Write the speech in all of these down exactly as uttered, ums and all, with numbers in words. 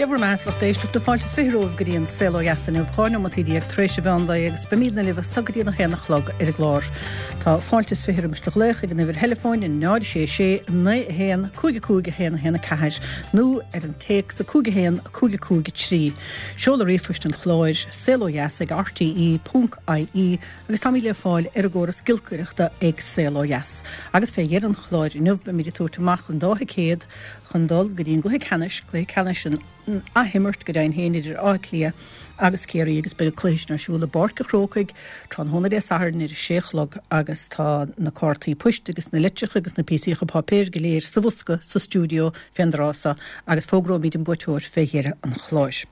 Dé bhur mbeatha, lucht éisteachta, fáilte is fiche romhaibh go dtí an Saol Ó Dheas inniu, dhá neomat déag tar éis an mheán lae agus beimidne libh as so go dtí an a haon a chlog ar an gclár. Tá fáilte is fiche roimis do ghlaoch ag an uimhir theileafóin náid sé sé naoi a haon cúig a cúig a haon a haon a ceathair nó ar an téacs a cúig a haon a cúig a cúig a trí. Seoladh ríomhphoist an chláir saol ó dheas ag R T E ponc I E agus táimid le fáil ar an gcóras giolcaireachta ag Saol Ó Dheas. Agus fé dheireadh an chláir inniu beimid ag tabhairt amach an dá thicéad chun dul go dtí an gcluiche ceannais, cluiche ceannais an athimirt go deimhin féin idir Áth Cliath agus Ciarraí, agus beidh cluiche sin ar siúl i bPáirc an Chrócaigh tráthnóna Dé Sathairn ar a sé chlog, agus tá na cártaí poist agus na litreacha agus na píosaíocha páipéir go léir sa bhosca sa stiúideo fén dtráth so agus fógróimid an buaiteoir fé dheireadh an chláir.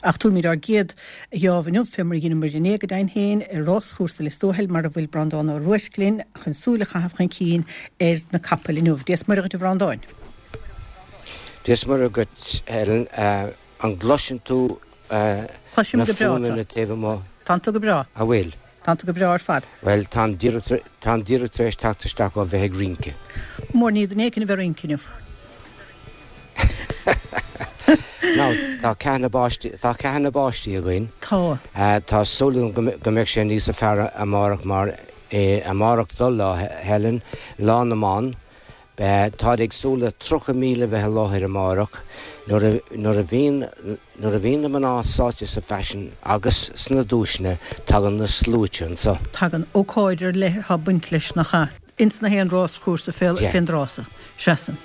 Ach tabharfaimid ár gcéad gheábh inniu, fé mar a dheineamar inné go deimhin féin, ar ráschúrsa Lios Tuathail, mar a bhfuil Breandán Ó Ruairc linn chun súil a chaitheamh chun cinn ar na capaill inniu. Dia is Muire dhuit, a Bhreandáin. Dia is Muire dhuit, Helen. An gcloiseann tú Cloisim na go breá fuaimeanna taobh amuigh? Tánn tú go breá. A bhfuil? Tánn tú go breá ar fad. Well, táim táim díreach tar éis teacht isteach ó bheith ag rince. Mór ní duine éicint a bheith rince inniu. Now, tá ceathanna báistí tá ceathanna báistí againn. Tá. Tá súil go mbeidh sé níos fearr amárach, mar amárach do lá, Helen, Lá na mBan. Tá ag súil le tríocha míle bheith i láthair amárach. nuair nuair a bhíonn nuair a bhíonn na mná sáite sa faisean agus sna duaiseanna, tagann na sluaite anseo. Tagann. Ócáid ar leith atá baint leis, nach ea, ins na haon ráschúrsa fén dtráth so. Seasann.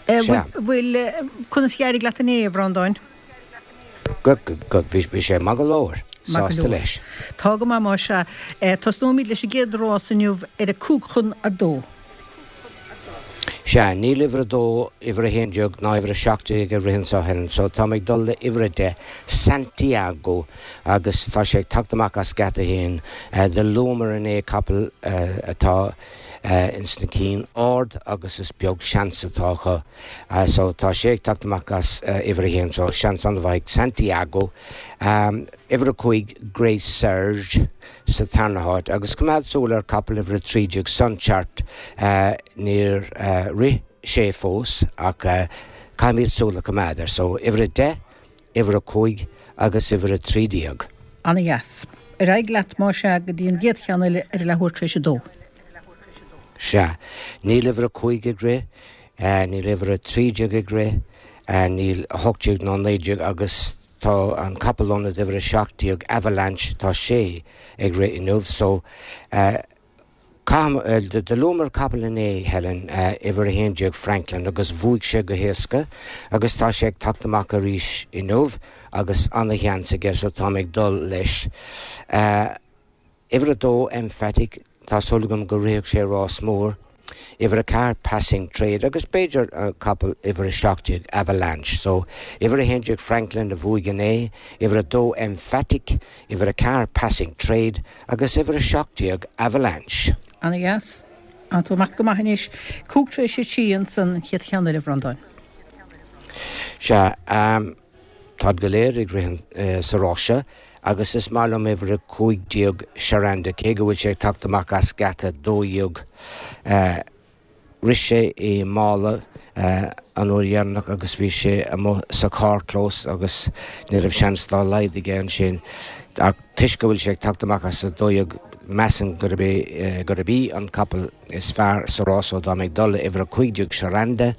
Bhfuil conas d'éirigh leat inné, a Bhreandáin? Go go bhí bhí sé maith go leor, sásta leis. Tá go maith más ea. Tosnóimid leis an gcéad rás inniu ar a cúig chun a dó. Sea, níl uimhir a dó, uimhir a haon déag ná uimhir a seacht déag ag rith anseo, Helen, so tá mé ag dul le uimhir a deich, Santiago, agus tá sé ag teacht amach as geata haon. Do luamar inné capall atá ins na cinn ard agus is beag seans atá acu. So tá sé ag teacht amach as uimhir a haon, so seans an-mhaith ag Santiago. Uimhir a cúig, Grace Serge, sa tarna háit, agus coimeád súil ar capall uimhir a trí déag, Sunchart. Níor rith sé fós ach caithfimid súil a choimeád air. So uimhir a deich, uimhir a cúig agus uimhir a trí déag. Ana dheas. Ar aghaidh leat más ea go dtí an gcéad cheann eile ar a leathuair tar éis a dó. Sea, níl uimhir a cúig ag rith, níl uimhir a trí déag ag rith, níl a hocht déag ná naoi déag, agus tá an capall ionad uimhir a seacht déag, Avalanche, tá sé ag rith inniu. So do luamar capall inné, Helen, uimhir a haon déag, Franklin, agus bhuaigh sé go héasca agus tá sé ag teacht amach arís inniu agus ana-sheans aige, so tá ag dul leis. Uimhir a dó, Emphatic, tá súil agam go rithfidh sé rás mór. Uimhir a ceathair, Passing Trade, agus b'fhéidir capall uimhir a seacht déag, Avalanche. So uimhir a haon déag, Franklin, a bhuaigh inné, uimhir a dó, Emphatic, uimhir a ceathair, Passing Trade, agus uimhir a seacht déag, Avalanche. Ana dheas. Tá tú amach go maith anois. Cúig tar éis a trí ansan, an chéad cheann eile, a Bhreandáin. Sea, um, táid go léir ag rith uh, sa rás seo agus is maith liom uimhir a cúig déag, Sharanda, cé go bhfuil sé ag teacht amach as geata dó dhéag. Uh, Rith sé i Mála uh, an uair dheireanach agus bhí sé amuigh sa carrchlós agus ní raibh seans dá laghad aige ansin, ach toisc go bhfuil sé ag teacht amach as a dó dhéag, measaim gurb é gurb í an capall is fearr sa rás, so tá mé ag dul le uimhir a cúig déag, Sharanda.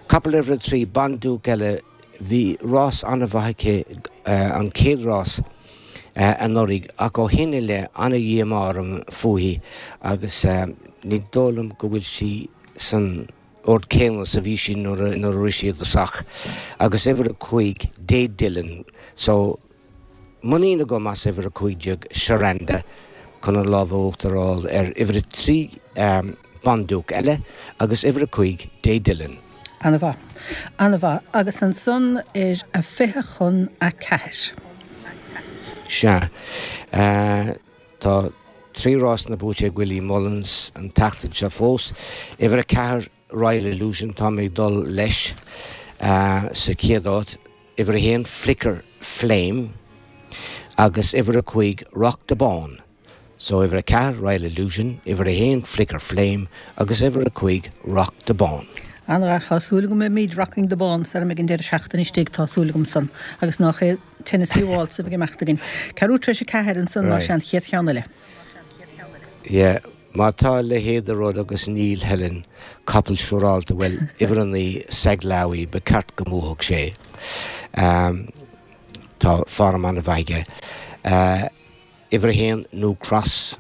Capall uimhir a trí, Banduc eile, bhí rás an-mhaith aici an chéad rás anuraidh ach ó shin i leith ana-dhíomá orm fúithi agus ní dóigh liom go bhfuil sí san ord céanna is a bhí sí nuair a rith sí i dtosach. Agus uimhir a cúig, Dé Dillon, so muinín agam as uimhir a cúig déag, Sharanda, chun an lámh uachtar a fháil ar uimhir a trí, Banduc eile, agus uimhir a cúig, Dé Dillon. Ana-mhaith. Ana-mhaith. Agus ansan ar a fiche chun a ceathair. Sea. Tá trí rásanna buaite ag Willie Mullins an tseachtain seo fós. Uimhir a ceathair, Royal Illusion, tá mé ag dul leis sa chéad áit. Uimhir a haon, Flicker Flame, agus uimhir a cúig, Rock the Bawn. So uimhir a ceathair, Royal Illusion, uimhir a haon, Flicker Flame, agus uimhir a cúig, Rock the Bawn. An-mhaith, tá súil agam go mbeimid rocking the bones ar ag an deireadh seachtaine istigh, tá súil agam san, agus nach é Tennessee Waltz a bheidh ag imeacht againn. Ceathrú tar éis a ceathair ansan mar sin an chéad cheann eile. Yeah, má tá a leithéid de rud agus níl Helen, capall siúrálta, bhuel, uimhir a naoi, Seglawi, ba ceart go mbuafadh sé. Tá form an-mhaith aige. Uimhir a haon, New Cross,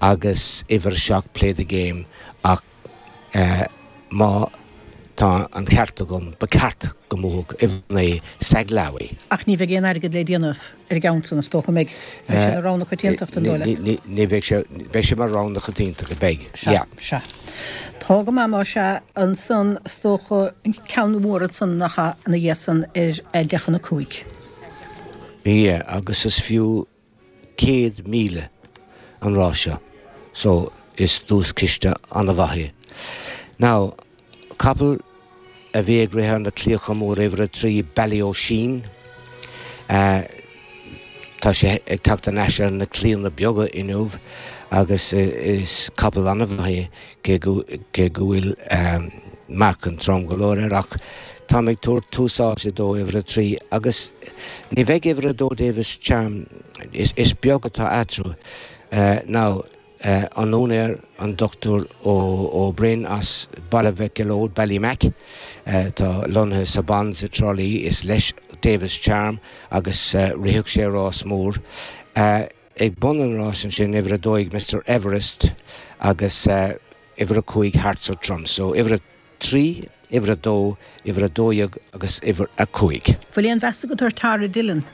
agus uimhir a seacht, Play the Game, ach má tá an ceart agam, ba ceart go mbuafadh uimhir a naoi, Seglawi. Ach ní bheidh aon airgead le déanamh ar an gceann san, is dócha, an mbeidh? Beidh sé ina rogha na coitiantachta, an dóigh leat? Ní bheidh sé, beidh sé mar rogha na coitiantachta, beidh, yeah. Sea, sea. Tá go maith, más ea, ansan, is dócha, an ceann mór ansan nach ea, ina dhiaidh san ar a deich chun a cúig. Yeah, agus is fiú céad míle an rás seo, so is duaischiste an-mhaith é. Now, capall a bhí ag rith ar na claíocha móra uimhir a trí, Ballyosheen, tá sé ag teacht thar n-ais ar na claíonna beaga inniu agus is capall an-mhaith é cé go cé go bhfuil meáchan trom go leor air ach táim ag tabhairt tús áite dó uimhir a trí agus ní bheidh uimhir a dó Davis Charm, is is beag atá eatarthu. Now, an úinéir, an Dochtúir Ó Broin as Baile Mhic Gealóid, Ballymac, atá lonnaithe sa Bond i dTrá Lí, is leis Davis Charm agus rithfeadh sé rás mór. Ag bun an ráis ansin, uimhir a dó dhéag Mister Everest agus uimhir a cúig Hearts Are Trom. So uimhir a trí, uimhir a dó, uimhir a dó dhéag agus uimhir a cúig. Bhfuil aon mheas agat ar Tara Dillon?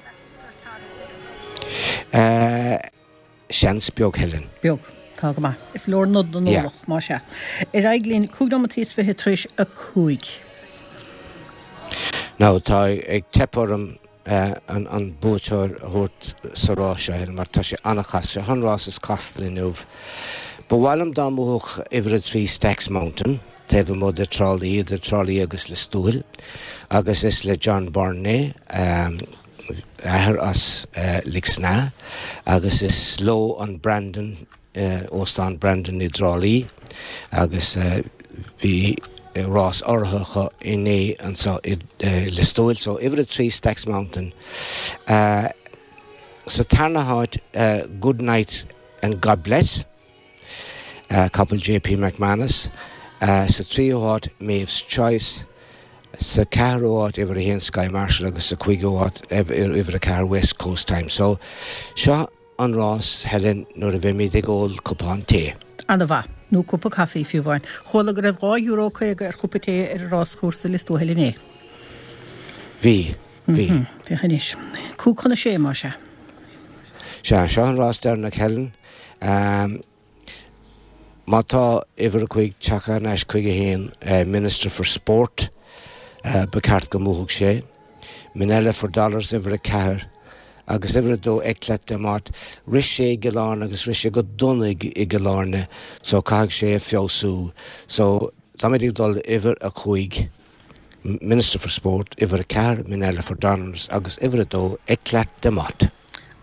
Seans beag, Helen. Beag. Tá go maith. Is leor nod don Yeah. eolach, más ea. Ar aghaidh linn, cúig nóimeataí is fiche tar éis a cúig. Now, tá ag teip orm an an buaiteoir a thabhairt sa rás seo, Helen, mar tá sé an-chasta. Seo an rás is casta inniu. Ba mhaith liom dá mbuafadh uimhir a trí Stacks Mountain, taobh amuigh de Trá Lí, idir Trá Lí agus Lios Tuathail, agus is le John Byrne é, athair as Lixnaw, agus is leo an Brandon, Óstán Brandon i dTrá Lí, agus bhí rás urraithe acu inné anseo i Lios Tuathail. So uimhir a trí Stacks Mountain. Sa tarna háit Good Night and God Bless, capall JP McManus. Sa tríú háit Maeve's Choice. Sa ceathrú háit uimhir a haon Sky Marshal agus sa cúigiú háit uimhir a ceathair West Coast Time. So seo an rás, Helen, nuair a bheimid ag ól cupán tae. An-mhaith. Nó cupa caife fiú amháin. Chuala go raibh dhá euro caoga ar chupa tae ar an ráschúrsa i Lios Tuathail inné. Bhí. Bhí. Féach anois. Cúig chun a sé, más ea. Sea, seo an rás deireanach, Helen. Má tá uimhir a cúig tagtha thar n-ais chuige féin, Minister for Sport, ba cheart go mbuafadh sé. Minella for Dollars, uimhir a ceathair, agus uimhir a dó, Eclat de Mott. Rith sé i gCill Airne agus rith sé go dona i gCill Airne so caithfidh sé feabhsú. So táimid ag dul uimhir a cúig, Minister for Sport, uimhir a ceathair, Minella for Dollars, agus uimhir a dó, Eclat de Mott.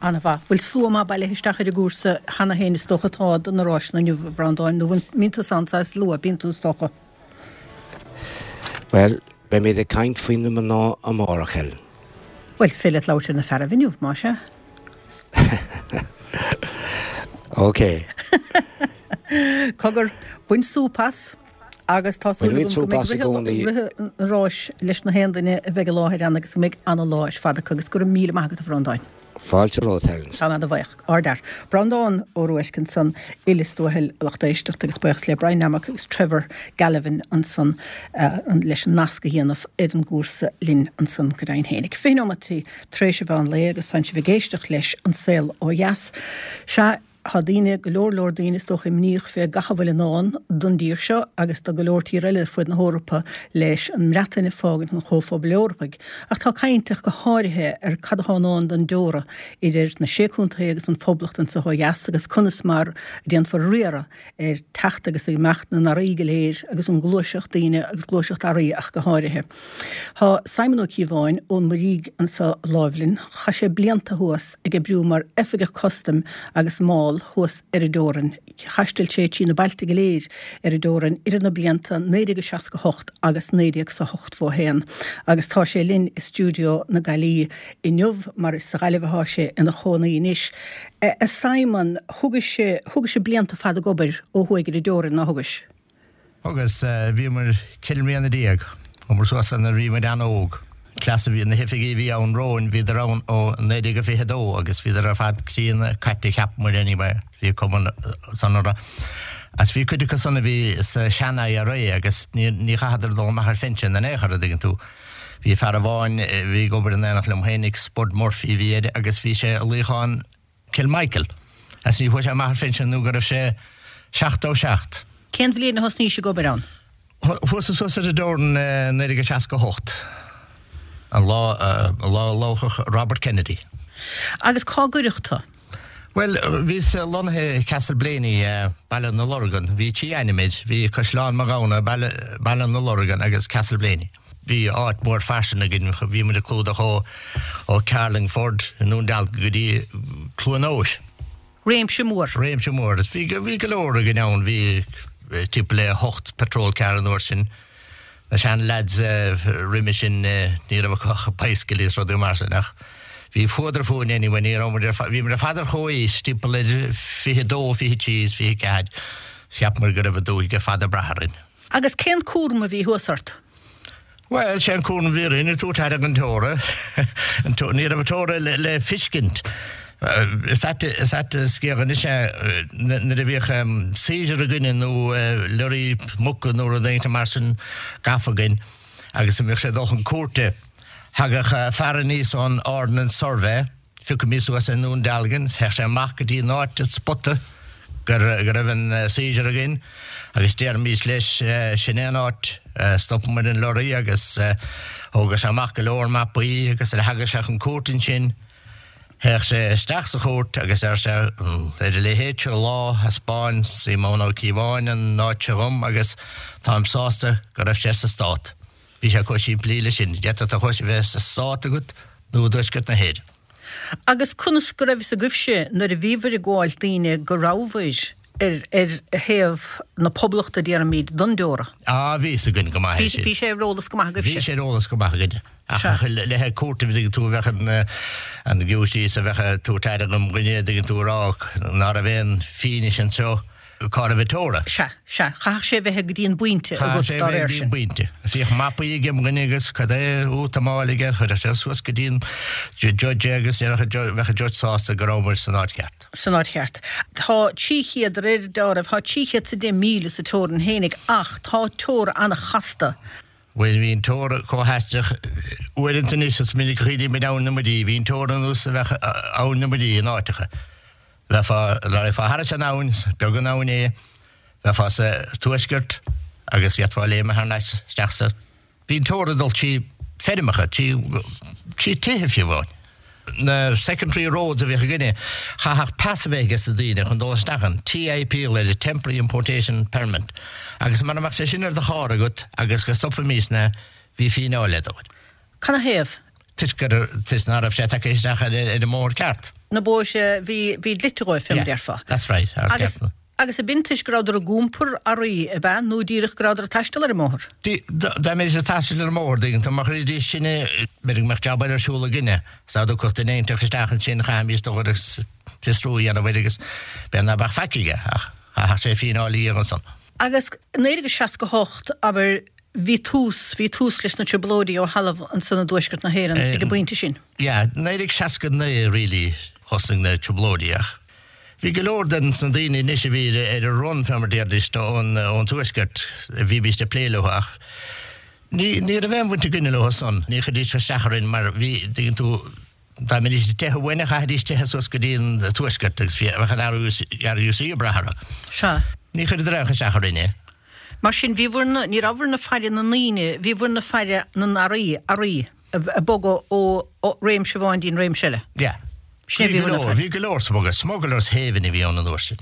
An-mhaith. Bhfuil slua maith bailithe isteach ar an gcúrsa cheana féin is dócha atá do na ráiseanna inniu, a Bhreandáin, nó an mbíonn tú ann saghas luath, bíonn tú is dócha? Bhuel, beimid ag caint faoi na mná amárach, Helen. Bhuel, féidir leat labhairt ar na fearaibh inniu, más ea. Ok. Cogar, bain súp as agus tá súil Bainimid agam go súp mbeidh as i rith gcónaí. rith an ráis leis na haon duine a bheidh i láthair ann agus go mbeidh ana-lá ar fad acu agus go raibh míle maith agat, a Bhreandáin. Fáilte romhat, Helen. Tá mé ana-bhuíoch. Ardfhear. Breandán Ó Ruairc ansan i Lios Tuathail, a lucht éisteachta agus buíochas le Brian Nammock agus Trevor Galvin ansan leis an nasc a dhéanamh ar an gcúrsa linn ansan go deimhin fhéinig. Fiche nóimeataí tar éis an mheán lae agus tánn sibh ag éisteacht leis An Saol Ó Dheas. Sea, Tá daoine, go leor leor daoine is dócha, imníoch fé gach a bhfuil i ndán don dtír seo agus do go leor tír eile ar fuaid na hEorpa leis an mBreatain ag fágaint an Chomhphobail Eorpaigh. Ach tá caint ach go háirithe ar cad atá i ndán don dteora idir na Sé Contae agus an Phoblacht anso ó dheas agus conas mar a déanfar riaradh ar teacht agus imeacht na n-earraí go léir agus an gluaiseacht daoine agus gluaiseacht earraí ach go háirithe. Tá Simon Ó Cíobháin ón Muirígh anso láimh linn. Chaith sé blianta thuas ag oibriú mar oifigeach custaim agus máil taisteal thuas ar an dteorainn. Thaistil sé trí na bailte go léir ar an dteorainn idir na blianta naoi déag a seasca hocht agus naoi déag is a hochtó haon agus tá sé linn i stiúideo na Gaillimhe inniu mar is sa Ghaillimh atá sé ina chónaí anois. A Simon, thugais thugais blianta fada ag obair ó thuaidh ar an dteorainn, nár thugais? Thugas, bhíomar ceithre mbliana déag, chuamar suas nuair a bhí muid an-óg. Cleas a bhí, na hoifigigh a bhí ann romhainn, bhíodar ann ó naoi déag a fiche dó agus bhíodar ar fad críonna caite, cheap muid anyway, bhí cuma san orthu. Agus bhí cuid acu san a bhí sa sean-I R A agus ní ní chaitheadar dul amach ar phinsean in aon chor, a dtuigeann tú. Bhí fear amháin a bhí ag obair in éineacht liom fhéinig, Spud Murphy a bhí air agus bhí sé i luíochán Kilmichael agus ní chuaigh sé amach ar phinsean nó go raibh sé seachtó seacht. Cén bhliain a thosnaís ag obair ann? Chuas suas ar an dteorainn naoi déag seasca hocht, an lá an lá a loghadh Robert Kennedy. Agus cá gcuireadh tú? Bhuel, bhíos lonnaithe i Castleblayney, Baile na Lorgan. Bhí trí ainm air, bhí Caisleán Mathghamhna, Baile, Baile na Lorgan agus Castleblayney. Bhí áit mhór fairsing againn, bhí muid ag clúdach ó, ó Carlingford i nDún Dealgan go dtí Cluain Eois. Réimse mór. Réimse mór. Bhí, bhí go leor againn ann, bhí timpeall le hocht patrol car an uair sin. Na sean lads roimhe sin ní raibh acu ach bicycle is rudaí mar sin ach bhí fuadar fúinn anyway, ní raibh muid ar, bhí muid ar fad ar chomhaois, timpeall idir fiche dó, fiche trí is fiche ceathair. Cheap muid go raibh an dúthaigh ar fad ag brath orainn. Agus cén cúram a bhí thuas ort? Bhuel, sé an cúram a bhí orainn, ag tabhairt aire don teora. Ní raibh an teora le feiscint. Is ait is ait an scéal anois é, nuair a bhíodh seizure againne nó lorry muca nó rud éigin mar sin gafa againn agus a mbíodh sé ag dul chun cúirte, thagadh fear aníos ón Ordnance Survey, Phiocfaimís suas i nDún Dealgan, théadh sé amach go dtí an áit, an spota go raibh an seizure againn agus déarfaimís leis, sin é an áit, stopann muid an lorry agus thógadh sé amach go leor mapaí agus nuair a thagadh sé chun cúirte ansin, théadh sé isteach sa chúirt agus deir sé, ar a leithéid seo lá, thaispeáin Síomón Ó Cíobháin an áit seo dhom agus táim sásta go raibh sé sa Stát. Bhí sé chomh simplí le sin. D'fhéadfadh do chois a bheith sa Stát agat nó i dtuaisceart na hÉireann. Agus conas go raibh fhios agaibhse nuair a bhíobhair ag gabháil daoine go rabhabhair ar ar thaobh na Poblachta, déarfaimid, don dteora? Á, bhí fhios againn go maith é sin. Bhí sé ar eolas go maith agaibhse? Bhí sé ar eolas go maith againne. Ach le haghaidh cúirte, an dtuigeann tú, bheadh an an giúistís a bheadh ag tabhairt aire dom dhuine, an dtuigeann tú, a rá ná raibh aon fianaise anseo cá raibh an teora. Sea, sea. Chaithfeadh sé bheith go dtí an bpointe Chaithfeadh agat sé dá bheith réir go dtí an sin. bpointe. Bhíodh mapaí ag im dhuine agus cad é útamáil aige, chuirfeadh sé suas go dtí an judge é agus déarfadh an judge, bheadh an judge sásta go raibh muid san áit cheart. San áit cheart. Tá trí chéad, de réir dealraimh, tá trí chéad is a deich míle sa teorainn fhéinig ach tá teora an-chasta. Bhuel, bhí an teora chomh haisteach uaireanta anois, is minic a chuimhnímid Abhainn na Muirí, bhí an teora ar nós a bheadh Abhainn na Muirí in áiteacha. Bheifeá, raghfá thairis an abhainn, is beag an abhainn é, bheifeá sa tuaisceart agus d'fhéadfá léim thar n-ais isteach sa. Bhí an teora ag dul trí feirmeacha, trí, trí tithe fiú amháin. Na secondary roads a bhíodh againne, chaithfeadh pas a bheith ages na daoine chun dul isteach ann, T I P le Temporary Importation Permit, agus mura mbeadh sé sin ar do charr agat agus go stopfaimisne, bhí fíneáil le dul. Canathaobh? Toisc gur, toisc ná raibh sé tagtha isteach ar, ar an mbóthar ceart. Na bóithre a bhí, bhí dlite dhóibh, fé mar Yeah, déarfá. that's right, ar Agus, ceart. agus ab in toisc go rabhadar ag iompar earraí, ab ea, nó díreach go rabhadar ag taisteal ar an mbóthar? Dá, dá mbeidís ag taisteal ar an mbóthar, dtuigeann tú, má chuiridís sinne, b'fhéidir go mbeadh jab eile ar siúl againne, 's dá dtiocfadh duine inteacht isteach ansin, chaithfimís dul agus fiosrú a dhéanamh air agus b'fhéidir ná beadh faic aige, ach chaithfeadh sé fíneáil a íoc ansan. Agus naoi déag seasca hocht, abair, bhí tús, bhí tús leis na trioblóidí ó thalamh ansan i dtuaisceart na hÉireann ag an bpointe sin. Yeah, naoi déag seasca naoi really thosnaigh na trioblóidí ach bhí go leor den sna daoine anois a bhí ar an run fé mar déarfaidís ón ón tuaisceart a bhímíst ag plé leo ach ní ní raibh aon bhaint againne leo san, ní chuiridís isteach orainn mar bhí, dtuigeann tú, dá mbeidís ag teitheadh uainn chaithfidís teitheadh suas go dtí an tuaisceart agus bhí bheadh an R U C ag brath orthu. Sea. Ní chuireadar aon isteach orainn é. Mar sin, bhíobhair na, ní rabhabhair ag faire na ndaoine, bhíobhair ag faire na n-earraí, earraí ag bogadh ó réimse amháin dtí'n réimse eile. Yeah. Sin é Bhí go bhíobhair na leor, faire. bhí go leor smugglers, smugglers haven a bhí ann an uair sin.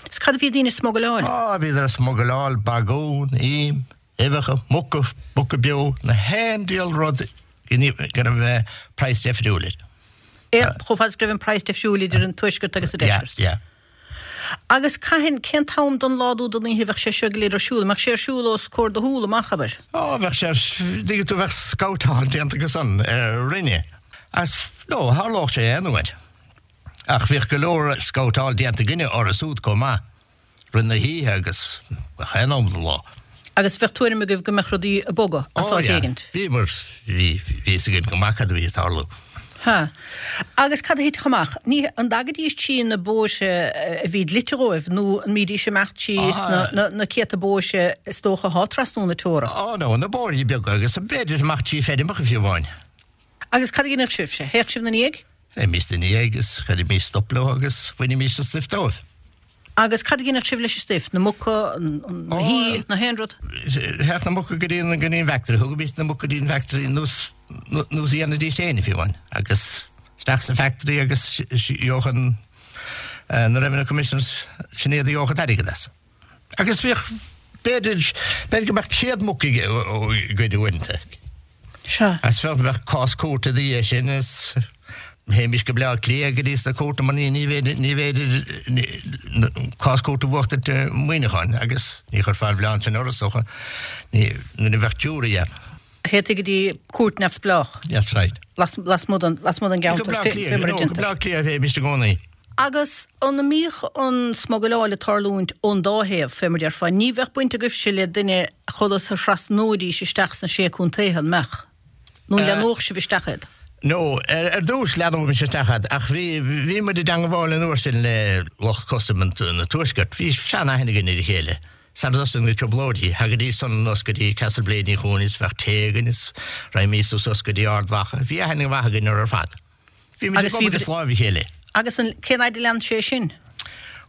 Is cad a bhí daoine ag smuggleáil? Á, bhíodar ag smuggleáil bagún, im, uibheacha, muca, muca beo, na haon diabhal rud go raibh praghas difriúil air. É, chomh fada is go raibh an praghas difriúil idir an tuaisceart agus an Yeah, deisceart. yeah. Agus cathain, cén t-am den lá nó den oíche a bheadh sé seo go léir ar siúl? An mbeadh sé ar siúl os comhair do shúl amach, abair? Ó, bheadh sé, dtuigeann tú, bheadh scabhtáil déanta acu san orainne. As, no, tharlódh sé aon uair. Ach bhíodh go leor scabhtáil déanta againne orthu súd chomh maith, rith na hoíche agus gach aon am den lá. Agus bheadh tuairim agaibh go mbeadh rudaí ag bogadh as áit éigint? Bhíomar, bhí, bhí fhios againn go maith cad a bhí ag tarlú. Ha. Agus cad a thitfeadh amach? Ní, an dtagaidís trí na bóithre a bhí dlite dhóibh nó an mbídís ag imeacht síos na, na, na céadta bóithre is dócha athá trasna na teorann? Ó no, na bóithre beaga agus b'fhéidir amach trí feirmeacha fiú amháin. Agus cad a dhéanfadh sibhse? Théadh sibh 'na ndiaidh? Théimis 'na ndiaidh agus chuirimís stop leo agus bhainimis an stuif dóibh. Agus cad a dhéanfadh sibh leis an stuif? Na muca, na hí, na haon rud? Théadh na muca go dtí an go dtí an bhfactory, thugaimis na muca go dtí an bhfactory nós nós a dhéanfaidís féin fiú amháin agus isteach sa factory agus gheobhadh an na Revenue Commissioners sin iad a gheobhadh an t-airgead as. Agus bhíodh b'fhéidir b'fhéidir go mbeadh céad muc ag goid uaireanta. Sea. As bheadh bheadh cás cúirte ina dhiaidh sin is théimis go Bleá Cliath go dtí sna cúirteanna mar ní ní bhféidir ní bhféidir cás cúirte a bhuachtaint i Muineachán agus ní chuirfeá an mhilleán sin orthu is dócha ní nuair a bheadh jury ann. Théití go dtí cúirt neamhspleách. That's right. Las lasmuigh den lasmuigh den Go gceantar Bleá fé Cliath fé mar a no go déantar. Bleá Cliath a théimis i gcónaí. Agus an mbíodh an smugairleáil ag tarlúint ón dá thaobh, fé mar déarfá, ní bheadh baint agaibhse le duine conas a thrasnóidís isteach sna Sé Contaetha, an mbeadh? Nó an leanódh sibh isteach iad? No, ar dtús leanóimis isteach iad, ach bhí, bhí muid i dteangabháil an uair sin le lucht custaim an Tuaiscirt. Bhí sean-aithne againn ar a chéile. Sar a dtosaigh na trioblóidí, thagaidís san anuas go dtí Castleblayney chugainn is bheadh tae againn is raghaimís suas go dtí Ard Mhacha. Bhí aithne mhaith againn orthu ar fad. Bhí muid ag Agus bhí obair as láimh a chéile. Agus an, cén fhaid a lean sé sin?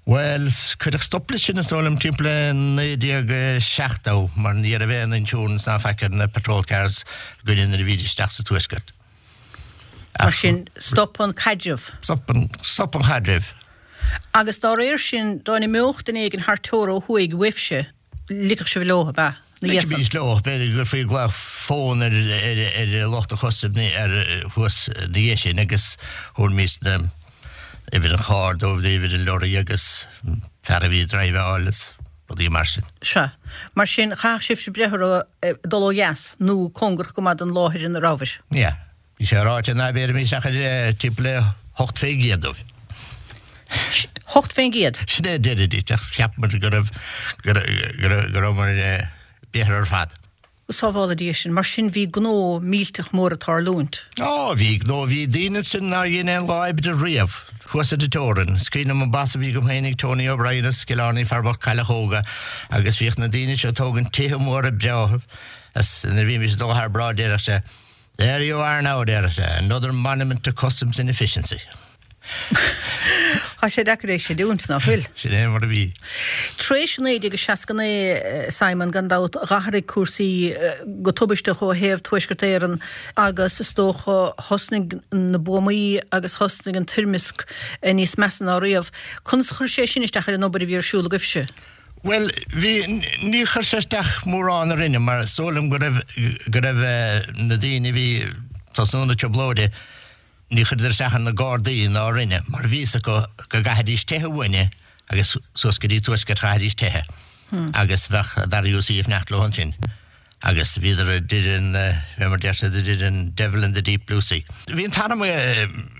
Bhuel, cuireadh stop leis sin is dóigh liom timpeall le naoi déag seachtó mar ní raibh aon insurance ná faic ar na patrol cars againne nuair a bhídís isteach sa Tuaisceart. Mar sin, stop an caidreamh. Stop an, stop an chaidreamh. Agus dá réir sin, dá n-imeodh duine éigin thar teora ó thuaidh uaibhse, ligfeadh sibh leo, ab ea? Na Ligfimís dhiaidh san. leo, b'fhéidir go gcuirfí glaoch fóin ar ar ar lucht an chustaim ar thuas ina dhiaidh sin agus thabharfaimis na uimhir an chairr dóibh, uimhir an lorry agus fear a bhí ag driveáil is rudaí mar sin. Sea. Mar sin, chaithfeadh sibhse breith orthu dul ó dheas nó cóngarach go maith don láthair ina rabhabhair. Yeah. Bhí sé ráite ná béarfaimis ach ar timpeall le hocht fén gcéad dóibh. Hocht fén gcéad? Sin é a deiridís, ach cheap muid go raibh, go raibh, go rabhamar béartha ar fad. Sábhála Dia sinn, mar sin bhí gnó millteach mór ag tarlúint. Ó, bhí gnó, bhí daoine ansin nár dhein aon lá oibre riamh, thuas ar an teorainn. Is cuimhin liom an boss a bhí agam féinig, Tony O'Brien as Cill Airne, fear bocht Cailleach Óga, agus bhíodh na daoine seo ag tógaint tithe móra breátha, is nuair a bhímis ag dul thar bráid déarfadh sé, There you are now, déarfadh sé, another monument to customs inefficiency. Tá sé deacair é sin a chreidiúint, ná fuil? Sin é mar a bhí. Tar éis naoi déag seasca naoi, Simon, gan dabht, dh'athraigh cúrsaí go tubaisteach ó thaobh Tuaisceart Éireann agus is dócha thosnaigh na buamaí agus thosnaigh an toirmeasc níos measa ná riamh. Conas a chuir sé sin isteach ar an obair a bhí ar siúl agaibhse? Bhuel, bhí, ní chuir sé isteach mórán orainne mar is dóigh liom go raibh, go raibh na daoine a bhí ag tosnú na trioblóide, Ní chuireadar isteach ar na Gardaí ná orainne mar bhí fhios acu go gcaithfidís teitheadh uainne agus suas go dtí Tuaisceart chaithfidís teitheadh agus bheadh an RUC ag fanacht leo ansin agus bhíodar idir an, fé mar deir siad, idir an devil and the deep blue sea. Bhí an t-arm i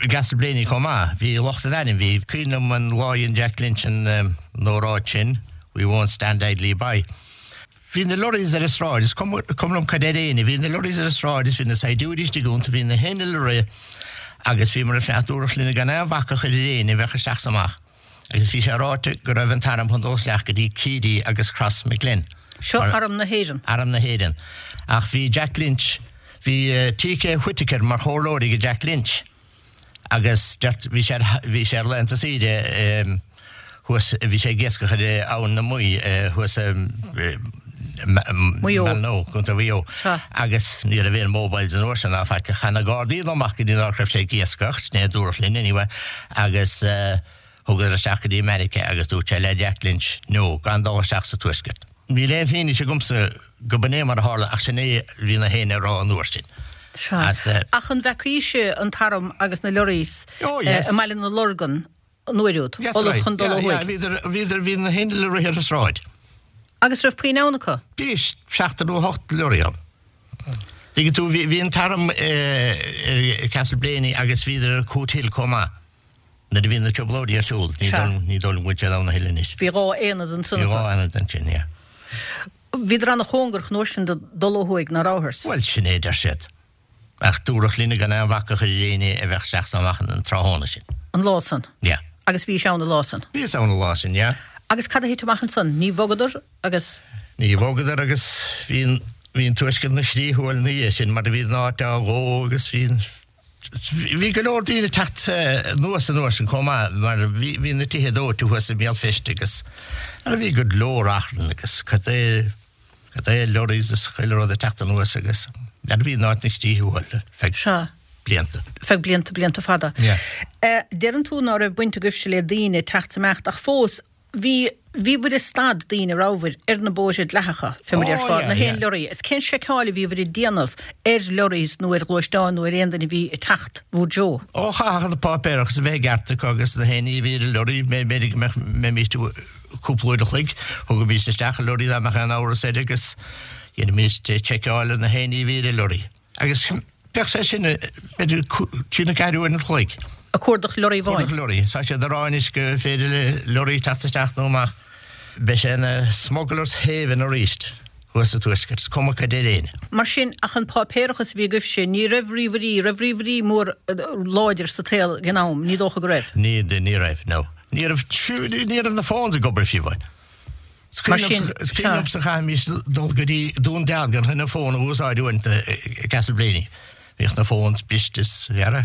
gCastleblayney chomh maith, bhí lucht an airm, bhí, cuimhin liom an lá a dhein Jack Lynch an óráid sin, we won't stand idly by. Bhí na lorries ar an sráid, is cuma liom cad ar éinne, bhí na lorries ar an sráid is bhí na saighdiúirí istigh iontu, bhí na hinnill ag rith agus bhíomar ag fanacht dúrach linn gan aon bhac a chur ar éinne a bheadh isteach 's amach agus bhí sé ráite go raibh an t-arm chun dul isteach go dtí Keady agus Crossmaglen. Seo Arm na hÉireann. Arm na hÉireann. Ach bhí Jack Lynch, bhí TK Whitaker mar chomhairleoir ag Jack Lynch agus bhí sé bhí sé ar laethanta saoire thuas, bhí sé ag iascach ar Abhainn na Muí thuas i Maigh Eo. Malnoe, Contae Mhaigh Eo. Sea. Agus ní raibh aon mobiles an uair sin ná faic. Chan na Gardaí dul amach go dtí an áit a raibh sé ag iascach, sin é a dúradh linn anyway, agus thugadar isteach go dtí Meiriceá agus dúirt sé le Jack Lynch, no, gan dul isteach sa Tuaisceart. Níl aon fianaise agamsa go b'in é mar a tharla ach sin é a bhí na héinne a rá an uair sin. Sea. As, eh. Ach an bhfeacaís-se an t-arm agus na lorries Oh, yes. i mBaile na Lorgan? an uair úd, ullamh chun dul ó thuaidh. Bhíodar, bhíodar, bhí na haon lorry ar an sráid. Agus raibh puinn ann acu? Bhí seacht nó hocht lorry ann. Tuigeann tú, bhí, bhí an t-arm i Castleblayney agus bhíodar ar Cootehill chomh maith. Nuair a bhí na trioblóidí ar siúl, ní dóigh, ní dóigh liom go bhfuil siad ann a thuilleadh anois. Bhí dhá aonad ansan acu. Bhí dhá aonad ansin, yeah. Bhíodar ana-chóngarach an uair sin do dhul ó thuaidh, ná rabhthars? Bhuel, sin é a deir siad. Ach dúradh linne gan aon bhac a chur ar éinne a bheadh isteach 's amach an tráthnóna sin. An lá san? Yeah. Agus bhís ann an lá san? Bhíos ann an lá sin, yeah. Agus cad a thit amach ansan? Ní bhogadar agus. Ní bhogadar agus bhí an, bhí an Tuaisceart 'na chrith uail ina dhiaidh sin mar a bhí an áit á dhó agus bhí an, bhí go leor daoine ag teacht anuas an uair sin chomh maith mar bhí, bhí na tithe dóite thuas i mBéal Feirste agus mar a bhí go leor achrann agus cad é, cad é lorries is chuile rud ag teacht anuas agus mar a bhí an áit 'na chrith uail ar feadh Sea. blianta. Feadh blianta, blianta fada. Yeah. Deireann tú ná raibh baint agaibhse le daoine ag teacht 's imeacht ach fós bhí, bhíobhair ag stad daoine rabhabhair ar na bóithre dleathacha, fé mar a Oh, déarfá, yeah, na haon yeah. lorry. Is cén seiceáil a bhíobhair ag déanamh ar lorries nó ar ghluaisteáin nó ar aon duine a bhí ag teacht bhur dtreo? Ó, chaithfeadh na páipéarachas a bheith i gceart acu agus na haon ní a bhí ar an lorry, b'fhéidir go mbeadh, mbeimís cúpla uair a chloig, thugaimís isteach an lorry dá mbeadh aon amhras air agus dheinimís seiceáil ar na haon ní a bhí ar an lorry. Agus bheadh sé sin, b'fhéidir, trí nó ceathair uair an chloig. Ag cuardach lorry amháin? Cuardach lorry. Tá siad ag rá anois gur féidir le lorry teacht isteach nó amach. Beidh sé ina smugglers haven arís thuas sa Tuaisceart, is cuma cad é éinne. Mar sin, ach an páipéarachas a bhí agaibhse, ní raibh ríomhairí, raibh ríomhairí mór láidir sa tsaol ag an am, ní dócha go raibh? Ní, ní raibh, no. Ní raibh, fiú, ní raibh na phones ag obair fiú amháin. Mar sin, Is cuimhin liomsa chaithfimis dul go dtí Dún Dealgan chun an fón a úsáid uaireanta i Castleblayney. Bhíodh na phones briste is dhera.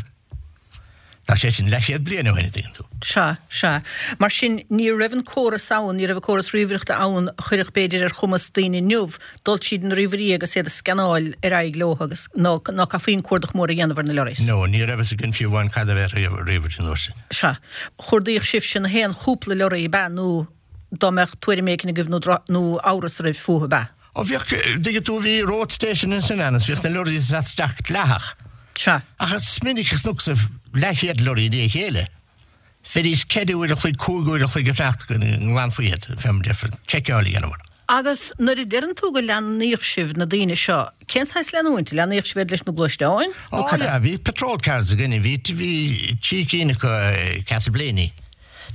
Tá sé sin leathchéad bliain ó shin, a dtuigeann tú. Sea, sea. Mar sin, ní raibh an córas ann, ní raibh an córas ríomhaireachta ann a chuirfeadh, b'fhéidir, ar chumas daoine inniu dul tríd na ríomhairí agus iad a scannáil ar aghaidh leo agus ná, ná caithfí an cuardach mór a dhéanamh ar na lorries. No, ní raibh fhios againn fiú amháin cad a bheadh ríomhairí an uair sin. Sea. Chuardaíodh sibhse na haon chúpla lorry, ab ea, nó dá mbeadh tuairim éigin agaibh nó nó amhras oraibh fúthu, ab ea? Ó bhíodh, dtuigeann tú, bhí road station ansin ann is bhíodh na lorries ag teacht isteach dleathach. Sea. Ach is minic a chonac leathchéad lorry i ndiaidh a chéile. Bheidís ceithre uair a chloig, cúig uair a chloig ag fanacht go nglanfaí iad, fé mar déarfá, seiceáil a dhéanamh orthu. Agus nuair a deireann tú go leanaíodh sibh na daoine seo, cén saghas leanúint? Leanaíodh sibh iad leis na gluaisteáin nó Ó cad é? yeah, bhí patrol cars againne, bhí, bhí trí cinn acu i Castleblayney.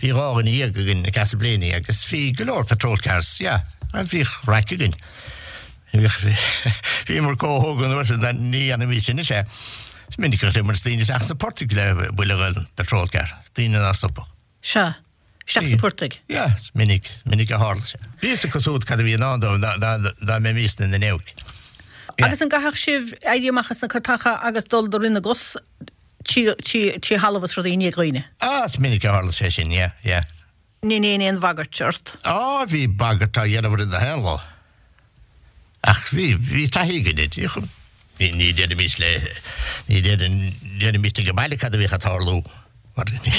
Bhí dhá dhuine dhéag againn i Castleblayney agus bhí go leor patrol cars, yeah, agus bhíodh raic againn. Bhíodh, bhíomar chomh hóg an uair sin, ní dhéanfaimis anois é. Is minic a chuir muid daoine isteach sna portaigh le buille den patrol car, daoine ná stopadh. Sea, isteach sna portaigh. Yeah, is minic, minic a tharla sé. Bhí fhios acu siúd cad a bhí i ndán dóibh dá, dá, dá mbeimisne ina n-éag. Yeah. Agus an gcaithfeadh sibh éirí amach as na cairteacha agus dul de rith na gcos trí, trí, trí thalamh is rudaí i ndiaidh dhaoine? Ah, is minic a tharla sé sin, yeah, yeah. Ní aon aon bhagairt ort? Á, bhí bagairt á dhéanamh orainn na haon lá. Ach bhí, bhí taithí againn air. Ní, ní déarfaimis le, ní déarfaimis ag an baile cad a bhíodh ag tarlú. Mar ní,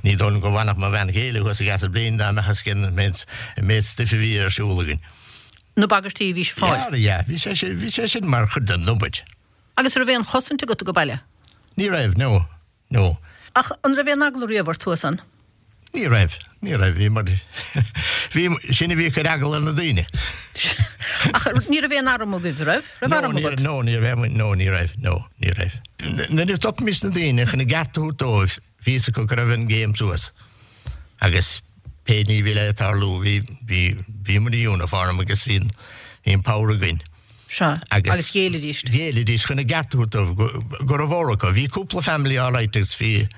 ní dóigh liom go bhfanfadh mo bhean chéile thuas i gCastleblayney dá mbeadh fhios aici an méid, an méid stuif a bhí ar siúl againn. Na bagairtí a bhí sibh a fháil? Yeah, yeah, bhí sé sin, bhí sé sin mar chuid den obair. Agus an raibh aon chosaint agat ag baile? Ní raibh, no, no. Ach an raibh aon eagla riamh ort thuas ann? Ní raibh, ní raibh, bhí mar, bhí, sin a bhí ag cur eagla ar na daoine. Ach ní raibh aon arm agaibh, raibh? Raibh arm agat? No, ní raibh, no, ní raibh, no, ní raibh. Nuair a stopaimis na daoine chun a gceart a thabhairt dóibh, bhí fhios acu go raibh an game suas. Agus pé ní bhí le tarlú, bhí, bhí, bhíomar i uniform agus bhí, bhí an power againn. Sea, agus ghéillidís. Ghéillidís chun a gceart a thabhairt dóibh, go, go raibh acu. Bhí cúpla family all right agus bhí,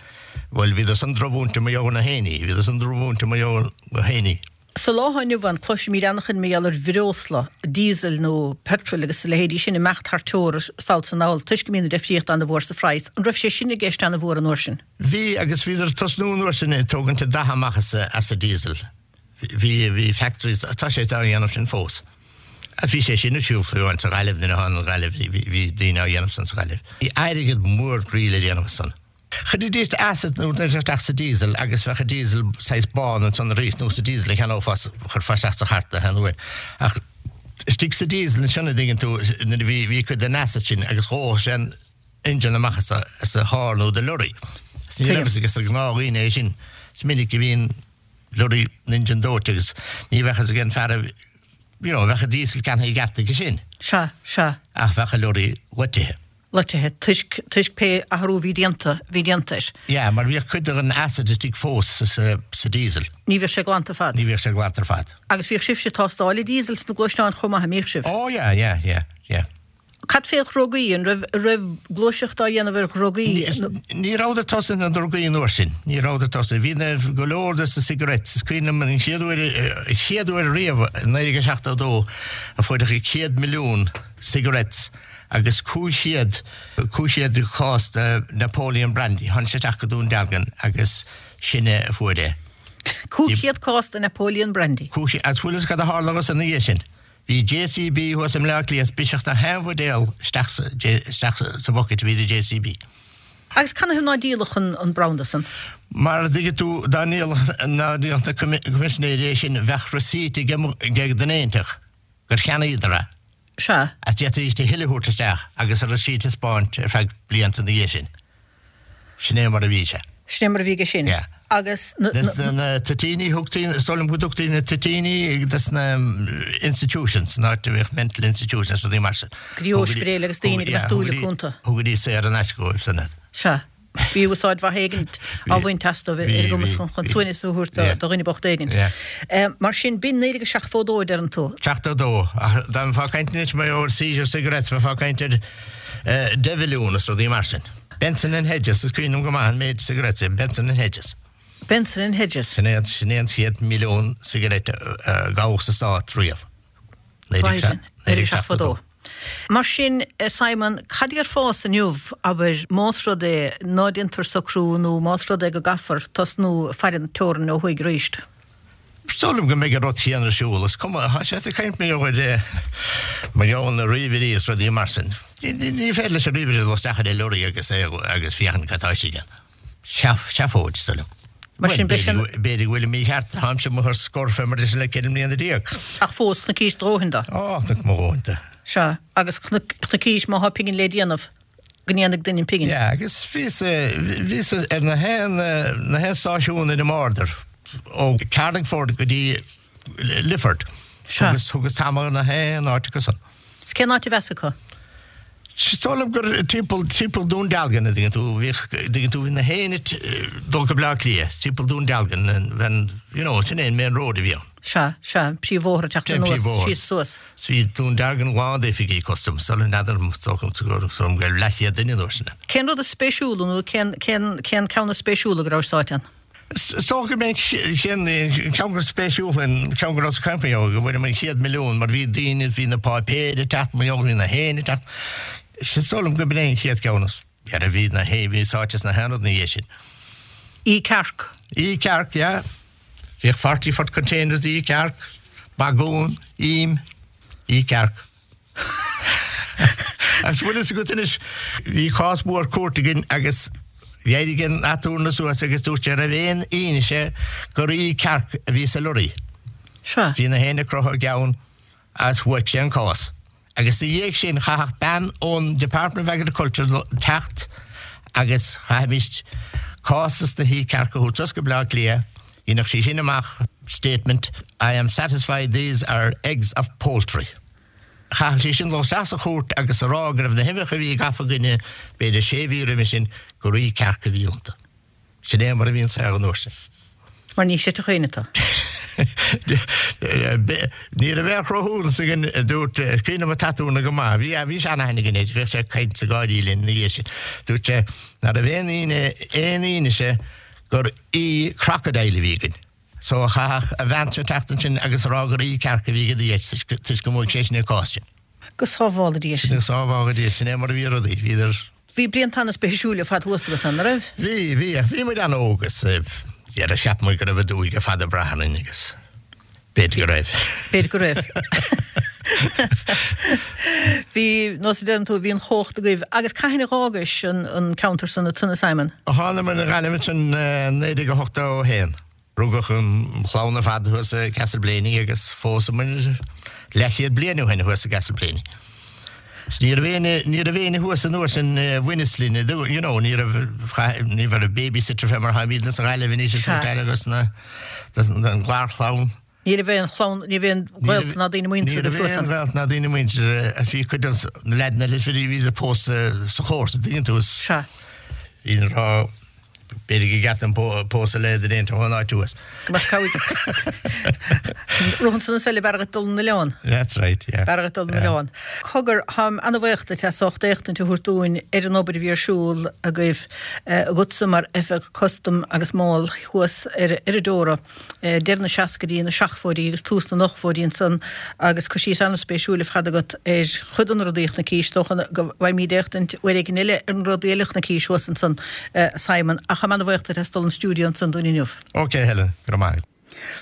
bhuel, bhíodar san drochmhúinte mar gheall ar na héinní, bhíodar san drochmhúinte mar gheall ar na héinní. Sa lá atá inniu ann, cloisimid an-chuid mar gheall ar bhreosla, diesel nó petrol agus a leithéidí sin, imeacht thar teora sall is anall, toisc go mbíonn an difríocht an-mhór sa phraghas. An raibh sé sin i gceist an-mhór an uair sin? Bhí, agus bhíodar ag tosnú an uair sin ag tógaint an dath amach as a, as a diesel. Bhí, bhí factories, tá sé á dhéanamh sin fós. Bhí sé sin ar siúl fiú amháin sa Ghaillimh nuair a tháinig an Ghaillimh, bhí, bhí daoine á dhéanamh san sa Ghaillimh. Bhí airgead mór groí le déanamh as san. Chuiridís acid nó rud isteach sa diesel agus bheadh an diesel saghas bán ansan arís nó sa diesel a cheannófá, chuirfeá isteach sa chairt na haon uair. Ach istigh sa diesel ansin a dtuigeann tú nuair a bhí, bhí cuid den acid sin agus dhódh sé an engine amach as a, as a charr nó do lorry. Ní raibh fhios ag na gnáthdhaoine é sin. Is minic a bhíonn lorry an engine dóite agus ní bheadh fhios ag an fear a you know, bheadh an diesel ceannaithe i gceart aige sin. Sea, sea. Ach bheadh an lorry loitithe. Loitithe, toisc, toisc pé athrú a bhí déanta, bhí déanta air. Yeah, mar bhíodh cuid den acid istigh fós sa, sa, sa diesel. Ní bheadh sé glanta ar fad. Ní bheadh sé glanta ar fad. Agus bhíodh sibhse ag tástáil an diesel sna gluaisteáin chomh maith, an mbíodh sibh? Oh yeah, yeah, yeah, yeah. Cad fé dhrugaí? An raibh, raibh gluaiseacht á dhéanamh ar dhrugaí? Ní rabhadar tosaithe na drugaí an uair sin. Ní rabhadar tosaithe. Bhí na, go leor de na cigarettes. Is cuimhin liom an chéad uair, an chéad uair riamh i naoi déag seachtó a dó a fuaireadh céad milliún cigarettes agus cúig chéad, cúig chéad cás de Napoleon Brandy. Tháinig sé isteach go Dún Dealgan agus sinne a fuair é. Cúig chéad cás de Napoleon Brandy. Cúig chéad, agus bhfuil fhios cad a tharla dhos ina dhiaidh sin? Bhí JCB thuas i mBleá Cliath is briseadh na haon bhuidéal isteach sa, isteach sa bhucket a bhí i JCB. Agus canathaobh ná díoladh an, an branda san? Mar a dtuigeann tú, dá ndíolfadh, dá ndíolfadh na coimisinéirí é sin, bheadh receipt ag ag duine inteacht gur cheannaíodar é. Sea. Agus d'fhéadfaidís a thuilleadh a thabhairt isteach agus an receipt a 'spáint ar feadh blianta ina dhiaidh sin. Sin é mar a bhí sé. Sin é mar a bhí aige sin. Yeah. Agus na, na, na toitíní, thugtaí, is dóigh liom go dtugtaí na toitíní dos na institutions, an áit a bhíodh mental institutions, rudaí mar sin. Go dtí ospidéil agus daoine go mbeadh dúil acu iontu. Thugaidís saor in aisce dóibh san iad. Sea. Bhí úsáid mhaith éigint á bhaint astu ar a gcumas chun suaimhneas a thabhairt do dhuine bocht éigint. Mar sin, b'in naoi déag seachtó dó a deireann tú. Seachtó dó. Ach dá mbeifeá ag caint anois mar gheall ar seizure cigarettes, bheifeá ag caint ar deich mhilliún is rudaí mar sin. Benson and Hedges, is cuimhin liom go maith an méid cigarettes é, Benson and Hedges. Benson and Hedges. Sin é sin é an chéad milliún cigarette a gabhadh sa Stát riamh. Biden, naoi déag seachtó dó. Mar sin, Simon, cad déarfása inniu, abair, más rud é ná déantar socrú nó más rud é go gcaithfear tosnú ag faire an teorainn ó thuaidh arís? Is dóigh liom go mbeidh an rud céanna ar siúl. Is cuma, tá sé ag caint mar gheall ar mar gheall ar na ríomhairí is rudaí mar sin. Ní féidir leis an ríomhaire dul isteach ar an lorry agus é agus féachaint cad tá istigh ann. Seafóid, is dóigh liom. Mar sin, beidh sin. B'fhéidir go bhfuilim mícheart, táimse amuigh ar scor fé mar sin le ceithre mbliana déag. Ach fós, chonaicís do dhóthain de. Á, chonaic mo dhóthain de. Sea, agus chonaicís má thá pingin le déanamh, go ndéanfaidh duine an pingin. Yeah, agus bhíos, bhíos ar na haon, na haon stáisiún ar an mborder, ó Carlingford go dtí Lifford. Sea. Thugas, thugas tamall ar na haon áit acu san. Is cén áit a bheas acu? Is dóigh liom gur timpeall, timpeall Dún Dealgan, a dtuigeann tú, bhíodh, dtuigeann tú, bhí na héinne ag dul go Bleá Cliath, timpeall Dún Dealgan, an, you know, sin é an main road a bhí ann. Sea, sea, an príomhbhóthar ag teacht anuas, síos suas. Bhí Dún Dealgan lán d'oifigí custaim, sula n'fheadar, is dócha go raibh leathchéad duine an uair sin ann. Cén rud is spéisiúla nó cén, cén, cén ceann is spéisiúla go rabhais sáite ann? Is dócha go mbeidh an ceann gur spéisiúla an ceann go raibh sa company ó go bhfuair an chéad milliún mar bhí daoine bhí na páipéir ag teacht mar gheall bhí na héinne ag teacht. Is dóigh liom go b'in é an chéad ceann is ar a bhí na hé bhí sáite sna haon rud ina dhiaidh sin. E cearc. E cearc, yeah. Bhíodh forty foot containers de E cearc, bagún, im, E cearc. Agus bhfuil fhios agat anois, bhí cás mór cúirte againn agus D'éirigh an aturnae suas agus dúirt sé raibh aon fhianaise gur E cearc a bhí sa lorry. Sea. Bhí na héinne ag croitheadh a gceann agus bhuaigh sé an cás. Agus ina dhiaidh sin chaithfeadh bean ón Department of Agriculture teacht agus chaithfimis cás as na hE cearc a thabhairt suas go Bleá Cliath. Dhéanfadh sí sin amach statement, I am satisfied these are eggs of poultry. Chaithfeadh sí sin dul isteach sa chúirt agus a rá go raibh na huimhreacha a bhí gafa againne, b'fhéidir sé mhí roimhe sin, gur E cearc a bhí iontu. Sin é mar a bhí an saol an uair sin. Mar ní chreidfeadh éinne tú. Ní raibh aon chruthúnas againn, a dúirt, is cuimhin liom an t-aturnae go maith, bhí, bhí seanaithne againn air, bhíodh sé ag caint ag gáirí linn ina dhiaidh sin. Dúirt sé ná raibh aon aon fhianaise gur E crocodile a bhí againn. So chaithfeadh a bheansa teacht ansin agus a rá gur E cearc a bhí ag Dia toisc go mbuaigh sé sin an cás sin. Go sábhála Dia sinn. Go sábhála Dia sinn. Sin é mar a bhí rudaí. Bhíodar. Bhí blianta an-spéisiúil ar fad thuas agat ann, an raibh? Bhí, bhí, ach bhí muid an-óg agus dhera cheap muid go raibh an dúthaigh ar fad ag brath orainn agus b'fhéidir go raibh. B'fhéidir go raibh. Bhí, nós a deireann tú, bhí an chumhacht agaibh. Agus cathain a dh'fhágais an an ceantar san ansan a Simon? Thánamair 'na Ghaillimh ansin naoi déag a hochtó a haon. Rugadh an chlann ar fad thuas i gCastleblaney agus phósamar leathchéad bliain ó shin thuas i gCastleblaney. 'S ní raibh éinne, ní raibh éinne thuas an uair sin a bhaineas linn, you know, ní raibh, ní raibh babysitter fé mar tháimídne sa Ghaillimh anois is Sea. agus na, an gclárchlann. Ní raibh aon chlann, ní raibh aon ghaolta ná daoine muinteartha Ní raibh aon ghaolta ná daoine muinteartha a bhí cuid de na leaideanna eile, bhí, bhí siad pósta sa chomharsa, tuigeann tú, is Sea. bhí an rá, B'fhéidir gur cheart dom pósadh le duine éigin ón áit thuas. Go mbeadh cabhair. Romhan san is eile b'fhearr dhuit dul 'na oileán. That's right, yeah. B'fhearr dhuit dul 'na oileán. Cogar, táim ana-bhaoch duit as ucht éachtaint a thabhairt dúinn ar an obair a bhí ar siúl agaibh, agatsa mar Oifigeach Custaim agus Mál thuas ar ar an Deora. deireadh na seascaidí, na seachtóidí agus tús na n-ochtóidí ansan agus cur síos an-spéisiúil ar fad agat ar chuid de na rudaí a chonaicís. Is dócha go bhfaighimid éachtaint uair éigin eile ar na rudaí eile a chonaicís thuas ansan, a Simon, ach táim an-bhaoch duit as dul 'on stiúideo ansan dúinn inniu. Ok, Helen, go raibh maith agat.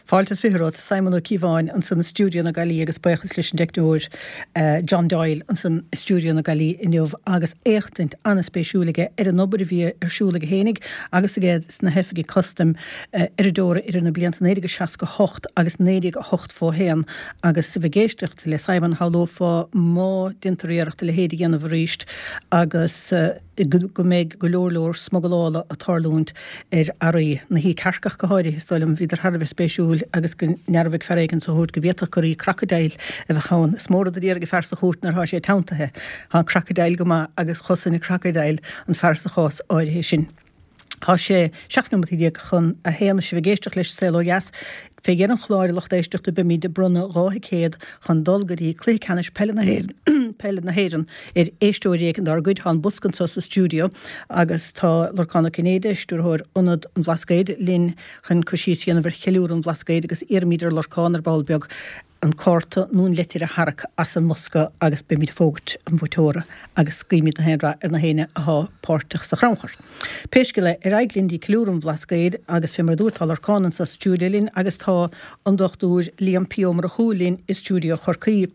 Fáilte is fiche romhat, Simon Ó Cíobháin ansan i stiúideo na Gaillimhe agus buíochas leis an dteicneoir John Doyle ansan i stiúideo na Gaillimhe inniu agus éachtaint an-spéisiúil aige ar an obair a bhí ar siúl aige fhéinig agus aige sna hoifigigh custaim ar an Deora idir na blianta naoi déag seasca hocht agus naoi déag ochtó haon agus a bheith ag éisteacht le Simon shamhlófá má déantar iarracht a leithéid a dhéanamh arís agus go mbeidh go leor leor smugalála ag tarlúint ar earraí, na hí cearcach go háirithe, is dóigh liom. Bhíodar thar a bheith spéisiúil agus go ndearbhaigh fear éigin sa chúirt go bhféadfadh gur í crocodile a bheadh ann. Is mór rud a déarfaidh fear sa chúirt nuair atá sé teanntaithe. Tá an crocodile go maith agus chosain an crocodile an fear sa chás áirithe sin. Tá sé seacht nóimeataí déag chun a haon is sibh ag éisteacht leis Saol Ó Dheas. Fé dheireadh an chláir, a lucht éisteachta, beimid ag bronnadh dhá thicéad chun dul go dtí Cluiche Ceannais Peile na Peile na hÉireann ar éisteoir éigin dár gcuid. Tá an bosca anseo sa stiúideo agus tá Lorcán Ó Cinnéide, Stiúrthóir Ionad an Bhlascaoid, linn chun cur síos a dhéanamh ar cheiliúradh an Bhlascaoid agus iarraimid ar Lorcán ar ball beag an cárta nó an leitir a tharrac as an mbosca agus beimid ag fógairt an bhuaiteora agus guímid na haon rath ar na héinne athá páirteach sa chrannchur. Pé scéal é, ar aghaidh linn dtí ceiliúradh an Bhlascaoid agus fé mar a dúrt tá Lorcán anso sa stiúideo linn agus tá an Dochtúir Liam P. Ó Murchú linn i stiúideo Chorcaí.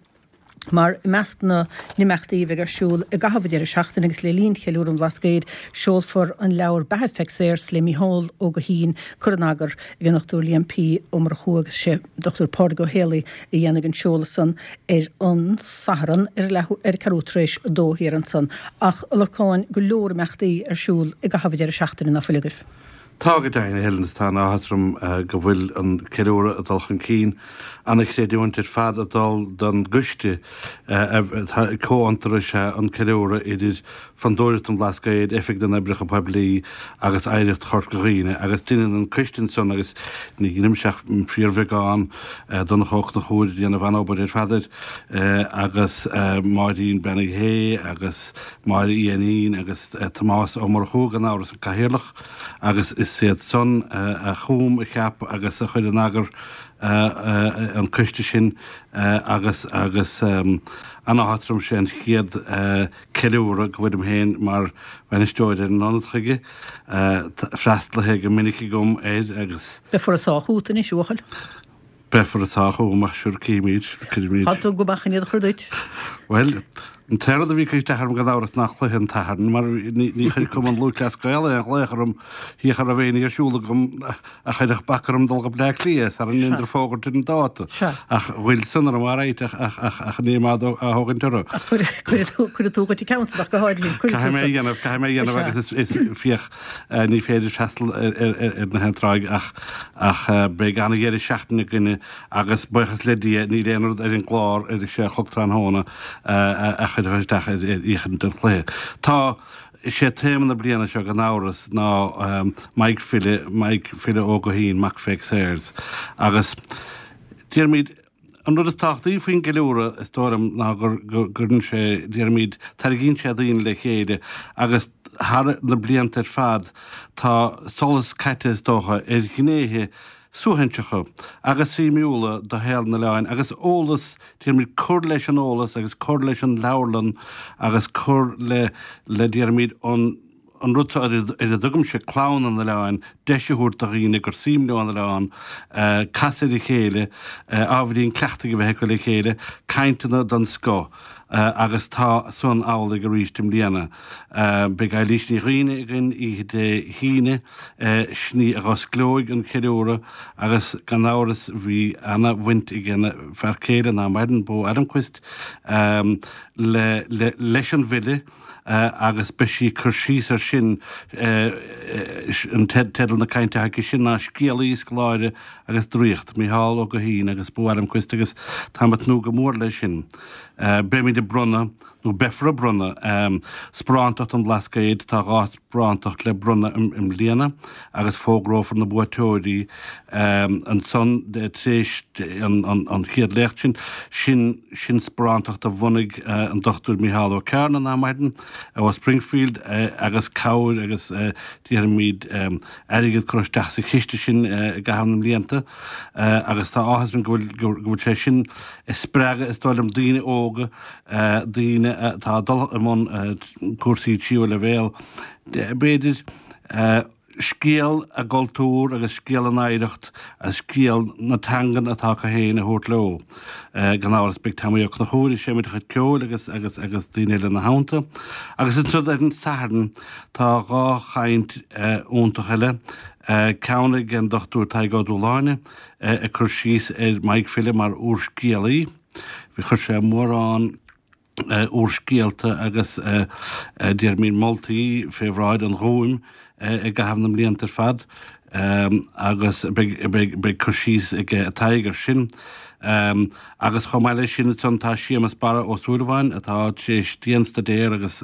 Mar i measc na n-imeachtaí a bheidh ar siúl i gcaitheamh an deireadh seachtaine agus le linn cheiliúradh an Bhlascaoid, seolfar an leabhar Beatha Pheig Sayers le Mícheál Ó Guithín, curtha in eagar ag an Dochtúir Liam P. Ó Murchú agus sé Dochtúir Pádraig Ó Héalaí a dhéanfaidh an seoladh san ar an Satharn ar leath ar ceathrú tar éis a dó thiar ansan. Ach, a Lorcáin, go leor imeachtaí ar siúl i gcaitheamh an deireadh seachtaine, ná fuil agaibh? Tá go deimhin, a Helen, is tá an-áthas orm go bhfuil an ceiliúradh ag dul chun cinn. An-chreidiúint ar fad ag dul don gcoiste atá comhfhiontar is ea an ceiliúradh idir Fondúireacht an Bhlascaoid, Oifig na nOibreacha Poiblí agus Oidhreacht Chorca Dhuibhne agus deineann an coiste ansan agus ní dheinimse ach fíorbheagán, Donncha Ó Conchúir ag déanamh an-obair ar fad air agus Máirín Bean Uí Shé agus Máire Uí Ainnín agus Tomás Ó Murchú gan amhras an cathaoirleach. Agus is iad san a chum, a cheap agus a chuir in eagar an coiste sin agus agus an-áthas orm sé an chéad ceiliúradh go bhfuilim féin mar bhainisteoir ar an ionad chuige. Freastalaithe go minic agam air agus. Beifear ag sá chút anois, a bhuachaill. Beifear ag sá chugam ach sure címid, cuirimid. Tá tú go maith chun iad a chur duit. Bhuel, an t-aon rud a bhí ag cur isteach orm gan amhras ná cluiche an tSathairn, mar ní chuir Cumann Lúthchleas Gael aon ghlaoch orm fiach a raibh aon ní ar siúl agam a chuirfeadh bac orm dul go Bleá Cliath sara ndéantar fógairt ar an dáta. Ach ghoill san orm alright ach ach ach ach níl mé á thógaint orthu. Ach cuirfidh tú dhuit an ceann san ach go háirithe, cuirfidh tú san. Caithfidh mé a dhéanamh, caithfidh mé a dhéanamh agus is is fiach ní féidir freastal ar na haon tráigh ach ach beidh an-dheireadh seachtaine againne agus buíochas le Dia níl aon rud ar an gclár ar a sé a chlog tráthnóna a chuirfeadh isteach ar fhéachaint don chluiche. Tá, is é téama na bliana seo gan amhras ná Maidhc File, Maidhc File Ó Guithín, mac Pheig Sayers agus déarfaimid, An rud is tábhachtaí faoin gceiliúradh, is dóigh liom, ná go gcuireann sé, déarfaimid, tarraingíonn sé daoine le chéile agus thar na blianta ar fad tá solas caite, is dócha, ar ghnéithe suaithinseacha agus suimiúla de shaol an oileáin agus eolas, déarfaimid, cur leis an eolas agus cur leis an leabharlann agus cur le, le déarfaimid, an. an rud seo ar a dtugaimse clann an oileáin, deis a thabhairt do dhaoine gur suim leo an oileán, casadh ar a chéile, ábhairín cleachtaidh a bheith acu le chéile, cainteanna den scoth agus tá san amhlaidh arís i mbliana. Beidh Eilís Ní Dhuibhne againn oíche Dé hAoine, sin í a dh'osclóidh an ceiliúradh agus gan amhras bhí ana-bhaint ag a fear céile, ná maireann, Bo Adamquist, le leis an bhfile agus beidh sí ag cur síos air sin, an teideal na cainte atá aici sin ná Scéalaí, Scoláire agus Draíocht, Mícheál Ó Guithín agus Bo Adamquist agus táim ag tnúth go mór leis sin. Beimid ag bronnadh, nó beifear ag bronnadh, Sparántacht an Bhlascaoid, tá dhá sparántacht le bronnadh i mbliana agus fógrófar na buaiteoirí ansan tar éis an chéad léacht sin. Sin sin sparántacht a bhunaigh an Dochtúir Mícheál Ó Cearna, ná maireann, ó Springfield agus cabhair agus déarfaimid airgead curtha isteach sa chiste sin i gcaitheamh na mblianta agus tá áthas orm go bhfuil go bhfuil sé sin ag spreagadh is dóigh liom daoine óga, daoine atá ag dul i mbun cúrsaí tríú leibhéal, b'fhéidir, scéal a gcultúr agus scéal a n-oidhreacht agus scéal na teangan atá acu féin a thabhairt leo. Gan amhras beidh Tomaí Ó Conchúir ag seinm a chuid ceoil agus agus agus daoine eile ina theannta. Agus ansan ar an Satharn tá dhá chaint iontach eile, ceann ag an Dochtúir Tadhg Ó Dúshláine ag cur síos ar Maidhc File mar úrscéalaí. Bhí chuir sé mórán úrscéalta agus déarfaimid moltaí fé bhráid an Ghúim i gcaitheamh na mblianta ar fad agus beidh cur síos ag Tadhg air sin. Agus chomh maith leis sin ansan tá Séamus Barra Ó Súilleabháin atá tar éis dianstaidéar agus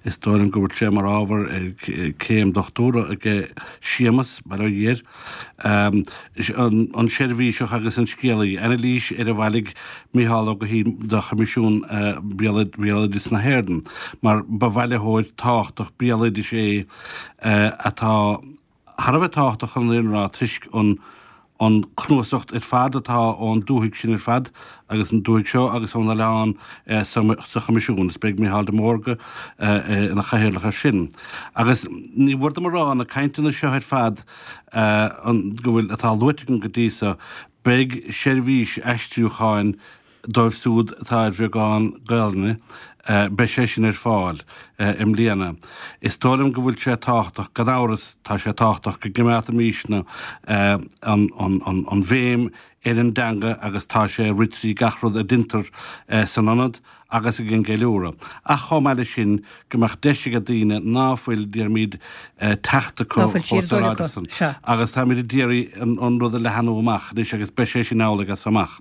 is dóigh liom go bhfuil sé mar ábhar ar céim dochtúra aige Séamus, bail ó Dhia air. An Seirbhíseach agus an Scéalaí, anailís ar a bhailigh Mícheál Ó Guithín do Choimisiún Béaloideas na hÉireann, mar ba bhailitheoir tábhachtach béaloidis é atá thar a bheith tábhachtach chun an fhírinne a rá toisc an an cnuasacht ar fad atá ón dúthaigh sin ar fad agus an dúthaigh seo agus ón oileán sa Choimisiún. Is beidh Mícheál de Mórdha ina chathaoirleach air sin. Agus ní mhór dom a rá, na cainteanna seo ar fad go bhfuil, atá luaite agam go dtí so, beidh seirbhís aistriúcháin dóibh siúd atá ar bheagán Gaelainne, beidh sé sin ar fáil i mbliana. Is dóigh liom go bhfuil sé tábhachtach, gan amhras tá sé tábhachtach go gcoimeádfaimísne an bhéim ar an dteanga agus tá sé ag rith trí gach rud a deintear san ionad agus ag an gceiliúradh. Ach chomh maith leis sin go mbeadh deis ag daoine ná fuil, déarfaimid, teacht acu chomh saoráideach san. Agus táimid ag iarraidh an rud a leathanú amach anois agus beidh sé sin amhlaidh as so amach.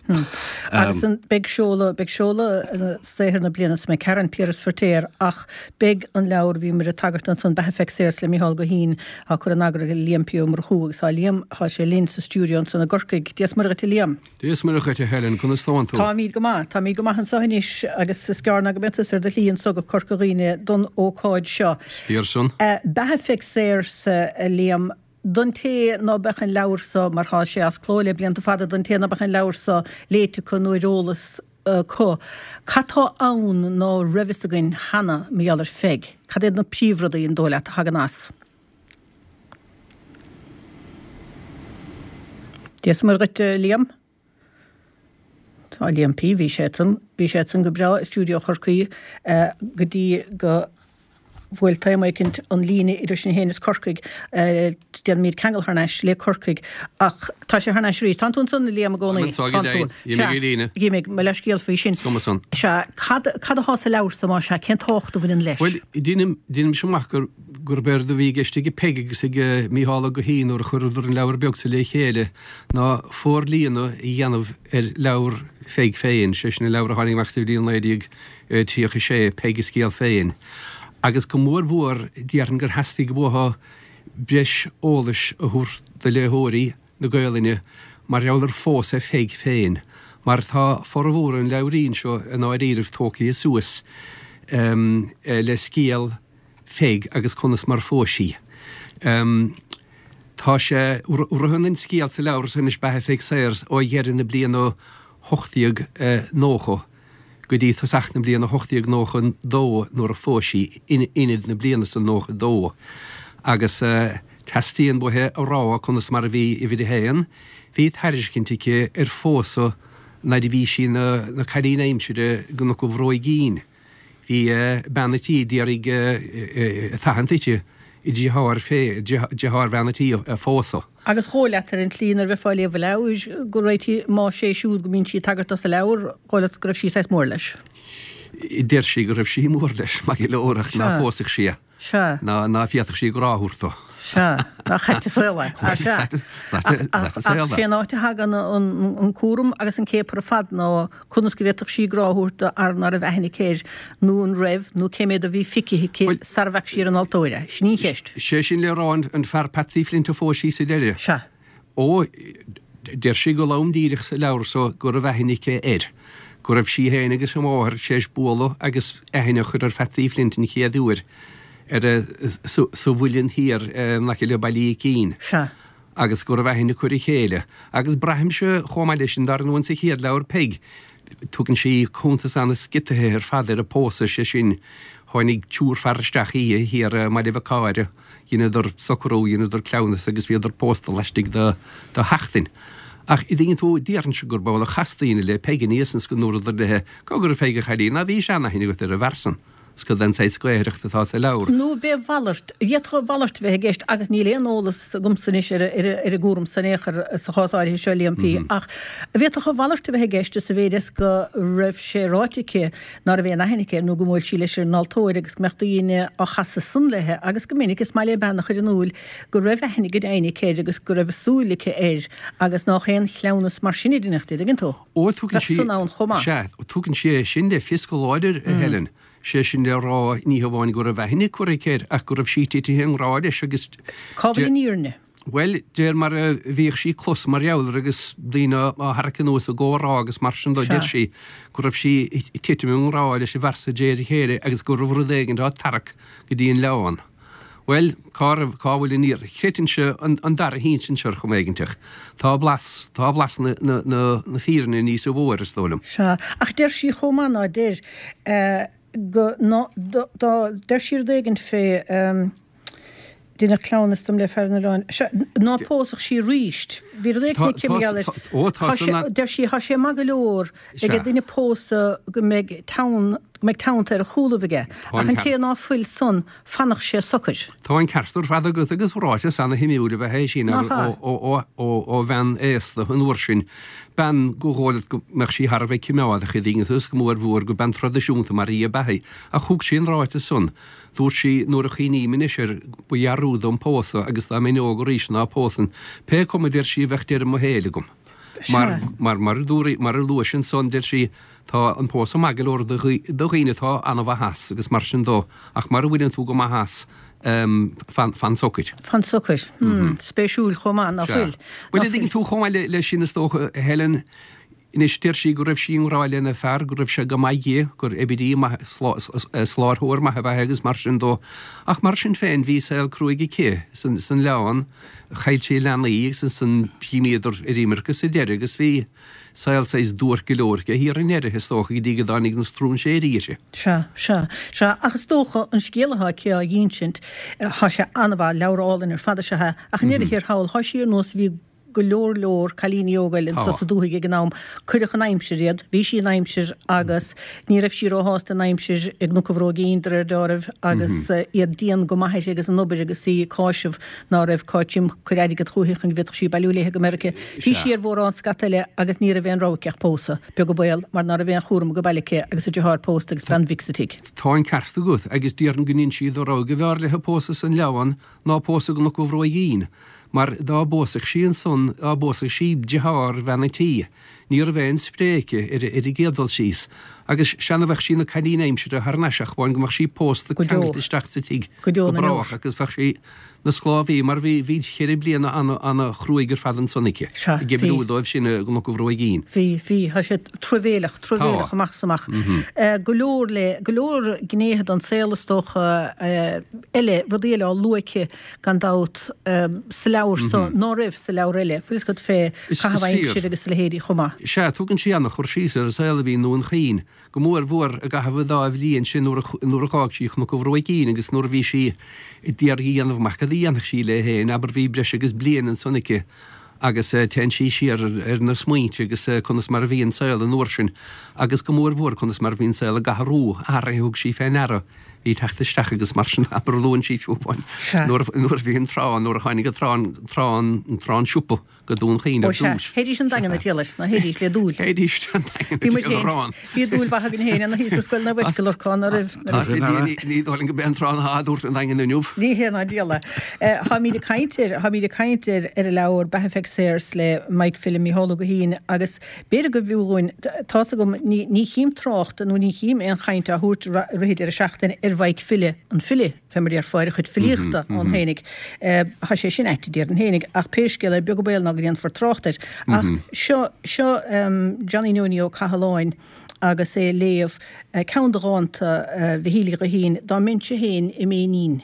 Agus beidh seoladh, beidh seoladh saothar na bliana sa McCarron, Piaras Feirtéar, ach beidh an leabhar, bhíomar ag tagairt ansan, Beatha Pheig Sayers le Micheál Guithín, á cur in eagar ag Liam P. Ó Murchú agus tá Liam, tá sé linn sa stiúideo ansan i gCorcaigh. Dia is Muire dhuit a Liam. Dia is Muire dhuit a Helen, conas tánn tú? Táimíd go maith, táimíd go maith anso anois agus is gearr ná go mbeidh tusa ar do shlí anso go Corca Dhuibhne don ócáid seo. Is fíor san. Beatha Pheig Sayers, a Liam, don té ná beadh an leabhar so, mar thá sé as cló le blianta fada, don té ná beadh an leabhar so léite acu nó ar eolas acu, cad tá ann ná raibh fhios againn cheana mar gheall ar Pheig? Cad iad na príomhrudaí, an dóigh leat, a thagann as? Dia is Muire dhuit, a Liam. Tá Liam P. Bhí sé ansan, bhí sé ansan go breá i stiúideo Chorcaí go dtí go bhuail taom éicint an líne idir sinn féin is Corcaigh. Déanfaimid ceangal thar n-ais le Corcaigh ach tá sé thar n-ais arís. Tánn tú ansan, a Liam, i gcónaí? Táim anso, go deimhin. Tá mé i líne. Sea, gí mo leithscéal faoi sin. Is cuma san. Sea, cad, cad athá sa leabhar so, más ea, cén tábhacht a bhaineann leis? Bhuel, deinim, deinimse amach gur, gurb éard a bhí i gceist ag Peig agus ag Mícheál Ó Guithín nuair a chuireadar an leabhar beag so le chéile ná forlíonadh a dhéanamh ar leabhar Pheig féin, sé sin an leabhar a tháinig amach sa bhliain naoi déag tríocha a sé, Peig a Scéal Féin. Agus go mór mhór déarfainn gur theastaigh uathu breis eolais a thabhairt do léitheoirí na Gaolainne mar gheall ar phósadh Pheig féin, mar tá formhór an leabhairín seo i ndáiríribh tógtha suas le scéal Pheig agus conas mar phós sí. Tá sé, ritheann an scéal sa leabhar seo anois, Beatha Pheig Sayers, ó dheireadh na bliana ocht déag nócha go dtí tosach na bliana hocht déag nócha dó nuair a phós sí in Inid na bliana san nócha dó agus teastaíonn uaithi a rá conas mar a bhí uimhir a haon, bhí tairiscint aici ar phósadh nuair a bhí sí ina cailín aimsire i gCnoc an Bhróigín. Bhí bean a' tí d'iarraidh a thathant uirthi a deartháir fé, deartháir bhean a' tí a phósadh. Agus dhóigh leat ar an tslí nuair a bheifeá ag léamh an leabhair go raibh, más é siúd go mbíonn sí ag tagairt dó sa leabhar, dhóigh leat go raibh sí saghas mór leis. Deir sí go raibh sí mór leis, maith go leor, ach ná pósfadh sí é. Sea. Ná, ná féadfadh sí grá a thabhairt dó. Sea. Nach ait an saol é. Sea. Ait an saol é. Ach sé an áit a thagann an cúram agus an céapar ar fad ná conas go bhféadfadh sí grá a thabhairt do fhear ná raibh aithne aici air, nó an raibh, nó cé mhéad a bhí feicthe aici sara bhfaca sí ar an altóir é. Sin í an cheist. Sé sin le rá an fear Patsy Flint a phós sí sa deireadh. Sea. Ó, deir sí go lom díreach sa leabhar so go raibh aithne aici air, go raibh sí féin agus a máthair tar éis bualadh agus aithne a chur ar Phatsy Flint an chéad uair ar a, sa Mhuileann Thiar in aice le Baile Ícín. Sea. Agus go raibh aithne acu ar a chéile. Agus braithimse chomh maith leis sin, dar ndóigh, sa chéad leabhar, Peig, tugann sí cuntas an-sciotaithe ar fad ar an bpósadh, sé sin, tháinig triúr fear isteach oíche thiar i mBaile Mhic Ádhaimh, dheineadar socrú, dheineadar cleamhnas agus bhíodar pósta laistigh de sheachtain. Ach an dtuigeann tú, déarfainnse gurb amhlaidh a chas daoine le Peig aníos ann 's go ndúradar léi, Cá go raibh Peig a chailín, ná bhí seanaithne agat ar an bhfear san? 's cad é an saghas gaothaireachta atá sa leabhar. Nó b'é a mhalairt, d'fhéadfadh a mhalairt a bheith i gceist agus níl aon eolas agamsa anois ar an gcúram san in aon chor sa chás áirithe seo, Liam P. Ach d'fhéadfadh a mhalairt a bheith i gceist sa mhéid is go raibh sé ráite aici ná raibh aon aithne aici air nó go mbuail sí leis ar an altóir agus go mbeadh daoine á chasadh san léi agus go minic is maith le bean a chur in iúl go raibh aithne go deimhin aici air agus go raibh a súil aici air agus nách aon chleamhnas mar sin a deineadh, an dtuigeann tú? Ó, tugann Bheadh sí, san ann chomh maith. sea, tugann sí é sin le fios go láidir, a Helen. Sé sin le rá, ní hamháin go raibh aithne curtha aici air, ach go raibh sí titithe i ngrá leis agus. Cá bhfuil an fhírinne? Bhuel, deir mar a bhíodh sí clos mar gheall air agus daoine á tharrac anuas i gcomhrá agus mar sin dó, Sea. deir sí go raibh sí ag titim i ngrá leis an bhfear so de réir a chéile agus go raibh rud éigin á tarrac go dtí an oileán. Bhuel, cá raibh, cá bhfuil an fhírinne? Chreidfinnse an, an dara hinsint ar chuma éiginteach. Tá blas, tá blas na, na, na, na fírinne níosa mhó air, is dóigh liom. Sea, ach deir sí chomh maith ná deir, eh, go, ná, dá, dá, deir sí rud éigin fé, ehm, deineadh cleamhnas dom le fear an oileáin, sea, ná pósfadh sí aríst. Bhí rud éigin Tá, aici tá, mar gheall air. tá, ó, tá Tá san sé, a, deir sí, tá sé maith go leor ag sea, duine pósadh go mbeidh teann, go mbeidh teannta ar a chúlaibh aige, tá ach an an ceart. té ná fuil san, fanadh sé socair. Tá an ceart ar fad agat agus ráiteas ana-shuimiúil ab ea é sin Nach ó, ea? ó, ó, ó, ó bhean aosta an uair sin, bean gur dhóigh leat go mbeadh sí thar a bheith cimeádach an dtuigeann tú, is go mór mhór gur bean traidisiúnta mar í ab ea í. Ach thug sí an ráiteas san. Dúirt sí, Nuair a chuimhním anois air, ba dhearúd dom pósadh agus dá mbeinn óg arís ná pósfainn. Pé cuma, deir sí, bheadh deireadh mo shaoil agam. Mar, Sea. mar, mar a dúraí, mar a luais ansan, deir sí, tá an pósadh maith go leor do dhaoine atá an-mhaith as agus mar sin dó, ach mara bhfuileann tú go maith as, fan, fan socair. Fan socair. Hmm, spéisiúil chomh maith, ná Sea. fuil? Bhuel, Ná an dtuigeann fuil. tú chomh maith le, leis sin is dócha, a Helen, anois deir sí go raibh sí i ngrá lena fear, go raibh sé go maith di, gur oibrí maith, soláthróir maith ab ea é agus mar sin dó. Ach mar sin féin, bhí saol cruaidh aici san, san oileán, chaill sí leanaí agus ansan d'imíodar ar imirce sa deireadh agus bhí saol saghas duairc go leor aici thiar i ndeireadh, is dócha, go dtí go dtáinig na stróinséirí uirthi. Sea, sea, sea, ach is dócha an scéal atá aici á dh'insint, tá sé an-mhaith, leabhar álainn ar fad is ea é, ach i ndeireadh thiar thall, tá sí ar nós bhí go leor leor cailíní óga eile Tá. sa dúthaigh ag an am, cuireadh in aimsir iad, bhí sí in aimsir agus ní raibh sí róshásta in aimsir i gCnoc an Bhróigín de réir dealraimh agus iad dian go maith uirthi agus an obair agus í ag cáiseamh ná raibh Cáit Jim ag cur airgead chúithi chun go bhféadfadh sí bailiú léithe go Meiriceá. Bhí Sea. sí ar mhórán scata eile agus ní raibh aon rogha aici ach pósadh, beag an baol, mar ná raibh aon chúram ag baile aici agus a deartháir pósta agus bean mhic sa tigh. Tá an ceart agat agus déarfainn go n'inis sí dá rogha go mb'fhearr léithe pósadh san oileán ná pósadh i gCnoc an Bhróigín. Mar dá bpósfadh sí ansan, dá bpósfadh sí deartháir bhean an tí, ní raibh aon spré aici ar ar an gcéad dul síos. Agus sea bheadh sí ina cailín aimsire thar n-ais ach amháin go mbeadh sí pósta Go deo. ceangailte isteach sa tigh Go deo go na brách ndeor. agus bheadh sí 'na sclábhaí mar bhí bhí cheithre bliana ana ana chruaidh ar fad ansan aici, Sea, ag bhí. oibriú dóibh sin i gCnoc an Bhróigín. Bhí, bhí, tá sé truamhéileach, truamhéileach Tá. amach is amach. Go leor le, go leor gnéithe den saol is dócha eile, rudaí eile á lua aici gan dabht sa leabhar so ná raibh sa leabhar eile, bhfuil fhios agat fé Is, caitheamh is fíor. aimsire agus a leithéidí chomh maith. Sea, tugann sí ana-chur síos ar an saol a bhí i nDún Chaoin, go mór mhór i gcaitheamh an dá bhliain sin nuair a dh'fhág sí Cnoc an Bhróigín agus nuair a bhí sí ag iarraidh a dhéanamh amach cad a dhéanfadh sí léi féin, abair bhí breis agus bliain ansan aici agus téann sí siar ar na smaointe agus conas mar a bhí an saol an uair sin agus go mór mhór conas mar a bhí an saol i gCathair Rua, athruithe a thug sí fé ndeara, bhí teacht isteach agus mar sin abair luann sí fiú amháin nuair a bhí an trá, nuair a tháinig an trá, an trá an siopa. go Dún Chaoin ar dtús. Théidís an Daingean ag triall leis, nó théidís le dúil. Théidís an Daingean ag triall arán. Bhí dúil mhaith againn féin ina shuí sa scoil na bhfuisce Lorcán oraibh. Ní dóigh liom go b'é an trán atá á dtabhairt an Daingean inniu. Ní hé ná diabhal é. Táimid ag caint ar, táimid ag caint ar ar an leabhar Beatha Pheig Sayers le Mike Philip Mícheál Ó Guithín agus b'fhéidir go bhfiú dhúinn, tá's agam, ní ní chím trácht nó ní chím aon chaint á thabhairt i rith an deireadh seachtaine ar Mhaidhc File, an file. Fé mar a déarfá ar a chuid filíochta ann fhéinig. Tá sé sin ait, déarfainn fhéinig, ach pé scéal é, beag an baol ná go ndéanfar trácht air. Ach seo, seo Johnny Nonie Ó Cathaláin agus é ag léamh ceann de dhánta Mhichíl Uí Ghuithín, Dá mbeinnse féin i m'éinín.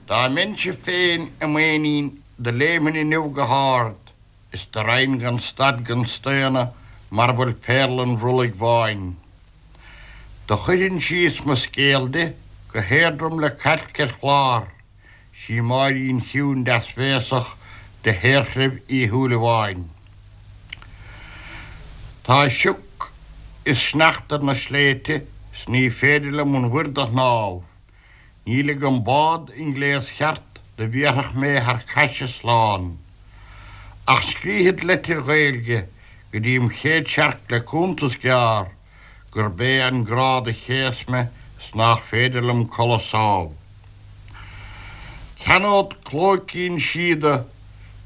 Dá mbeinnse féin i m'éinín do léimfinn inniu go hard is do raghainn gan stad gan staonadh mar a bhfuil péarla an bhrollaigh bháin. Do chuirfinn síos mo scéal di go héadrom le cailc ar chlár, 'sí Máirín chiúin deasbhéasach de shaorthreibh Uí Shúilleabháin. Tá sioc is sneachta ar na sléibhte 's ní féidir liom an mhuir do shnámh, níl agam bád i ngléas cheart do bhéarfadh mé thar caise slán. Ach scríobhfad leitir Ghaeilge go dtí im chéad searc le cuntas gearr, gurb é an grá do chéas mé 's nách féidir liom codladh sámh. Ceannód clóicín síoda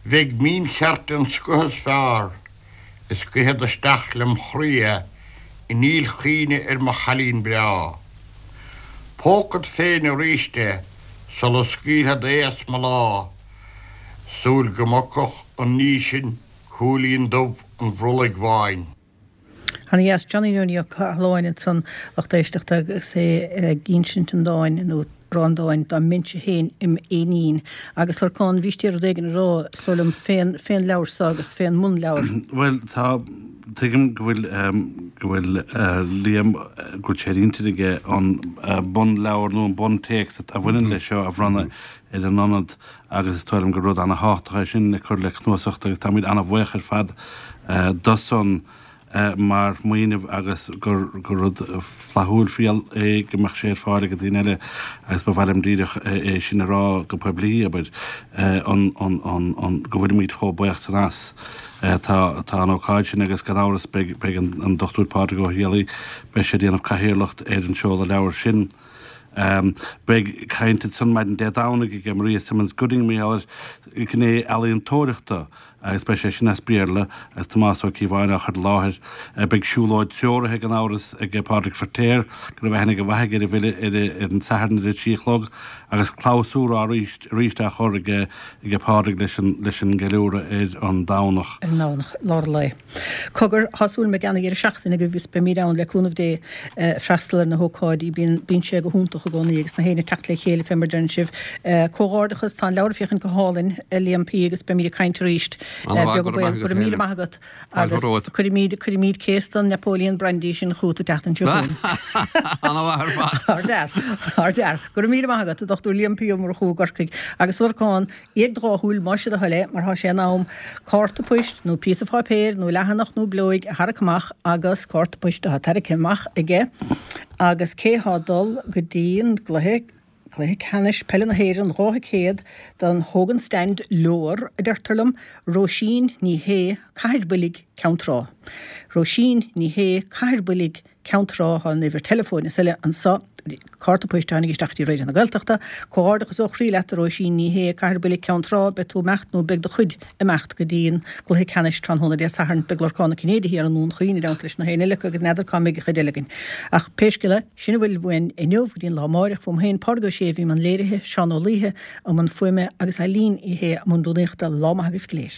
bheidh míncheart den scoth is fearr is guífead isteach lem chroí é i ndílchuimhne ar mo chailín breá. Pógfad féin aríst é sula scaoilfead é as mo lámh, súil go mbogfadh an ní sin cúilín dubh an bhrollaigh bháin. Ana dheas Johnny Nonie Ó Cathaláin ansan, lucht éisteachta, agus é ag insint an dáin, nó ag rá an dáin, dá mbeinnse féin im éinín. Agus Lorcán, bhís d'iarraidh rud éigin a rá, is dóigh liom, fén, fén leabhar so agus fén mbunleabhar. Bhuel, tá, tuigim go bhfuil, go bhfuil Liam, go bhfuil sé ar intinn aige an bunleabhar nó an buntéacs a bhaineann leis seo a bhronnadh ar an Ionad agus is dóigh liom gur rud ana-thábhachtach é sin le cur le cnuasacht agus táimid ana-bhuíoch ar fad dó san. mar smaoineamh agus gur rud flaithiúil fial é go mbeadh sé ar fáil ag daoine eile agus ba mhaith liom díreach é sin a rá go poiblí, abair, an, an, an, an, go bhfuilimid chomh buíoch san as. Tá, tá an ócáid sin agus gan amhras beidh, beidh an, an Dochtúir Pádraig Ó Héalaí, beidh sé ag déanamh cathaoirleacht ar an seoladh leabhar sin. Beidh caint ansan maidin Dé Domhnaigh aige Maria Simmons Gooding mar gheall ar ghné ealaíontóireachta agus beidh sé sin as Béarla agus Tomás Ó Cíobháin á chur i láthair. Beidh siúlóid treoraithe gan amhras ag Pádraig Feirtéar, go raibh aithne go mhaith aige ar an bhfile, ar an Satharn ar a trí a chlog agus clabhsúr arís á chur aige Pádraig leis an gceiliúradh ar an Domhnach. Ar an nDomhnach, lár an lae. Cogar, tá súil agam ag an deireadh seachtaine agus beimid ann le cúnamh Dé freastal ar na hócáidí. Bíonn, bíonn sé go hiontach i gcónaí agus na héinne ag teacht le chéile fé mar deireann sibh. Comhghairdeachas, tá an leabhar ag féachaint go hálainn, a Liam P. agus beimid ag caint arís. Beag an baol. Go raibh míle maith agat agus cuirfimid, cuirfimid case den Napoleon Brandy sin chugat an tseachtain seo chugainn. Ana-mhaith ar fad. Ardfhear, ardfhear. Go raibh míle maith agat, a Dhochtúir Liam P. Ó Murchú i gCorcaigh. Agus a Lorcáin, Ag do dhá shúil, más é do thoil é, mar tá sé in am cárta poist nó píosa pháipéir nó leathanach nó bileoig a tharrac amach agus cárta poist atá tarraicthe amach aige agus cé thá ag dul go dtí an gcluiche, cluiche ceannais peile na hÉireann dhá thicéad don Hogan Stand leor, a deirtear liom, Róisín Ní Shé, Cathair Bhuilg, Ceann Trá. Róisín Ní Shé, Cathair Bhuilg, Ceann Trá, tá an uimhir teileafóin is eile anso, cárta poist a tháinig isteach dtí Raidió na Gaeltachta. Comhghairdeachas ó chroí leat a Róisín Ní Shé, Cathair Bhuilg, Ceann Trá, beidh tú ag imeacht nó beidh do chuid ag imeacht go dtí an gcluiche ceannais tráthnóna Dé Sathairn. Beidh Lorcán Ó Cinnéide thiar i nDún Chaoin i dteannta leis na héinne eile acu agus n'fheadar cá mbeidh an chuid eile againn. Ach pé scéal é, sin a bhfuil uainn inniu go dtí an lá amáireach. Uaim féin, Pádraig Ó Sé a bhí i mbun léirithe, Seán Ó Laoithe i mbun fuaime agus Eileen Uí Shé i mbun rúnaíochta. Lá maith agaibh go léir.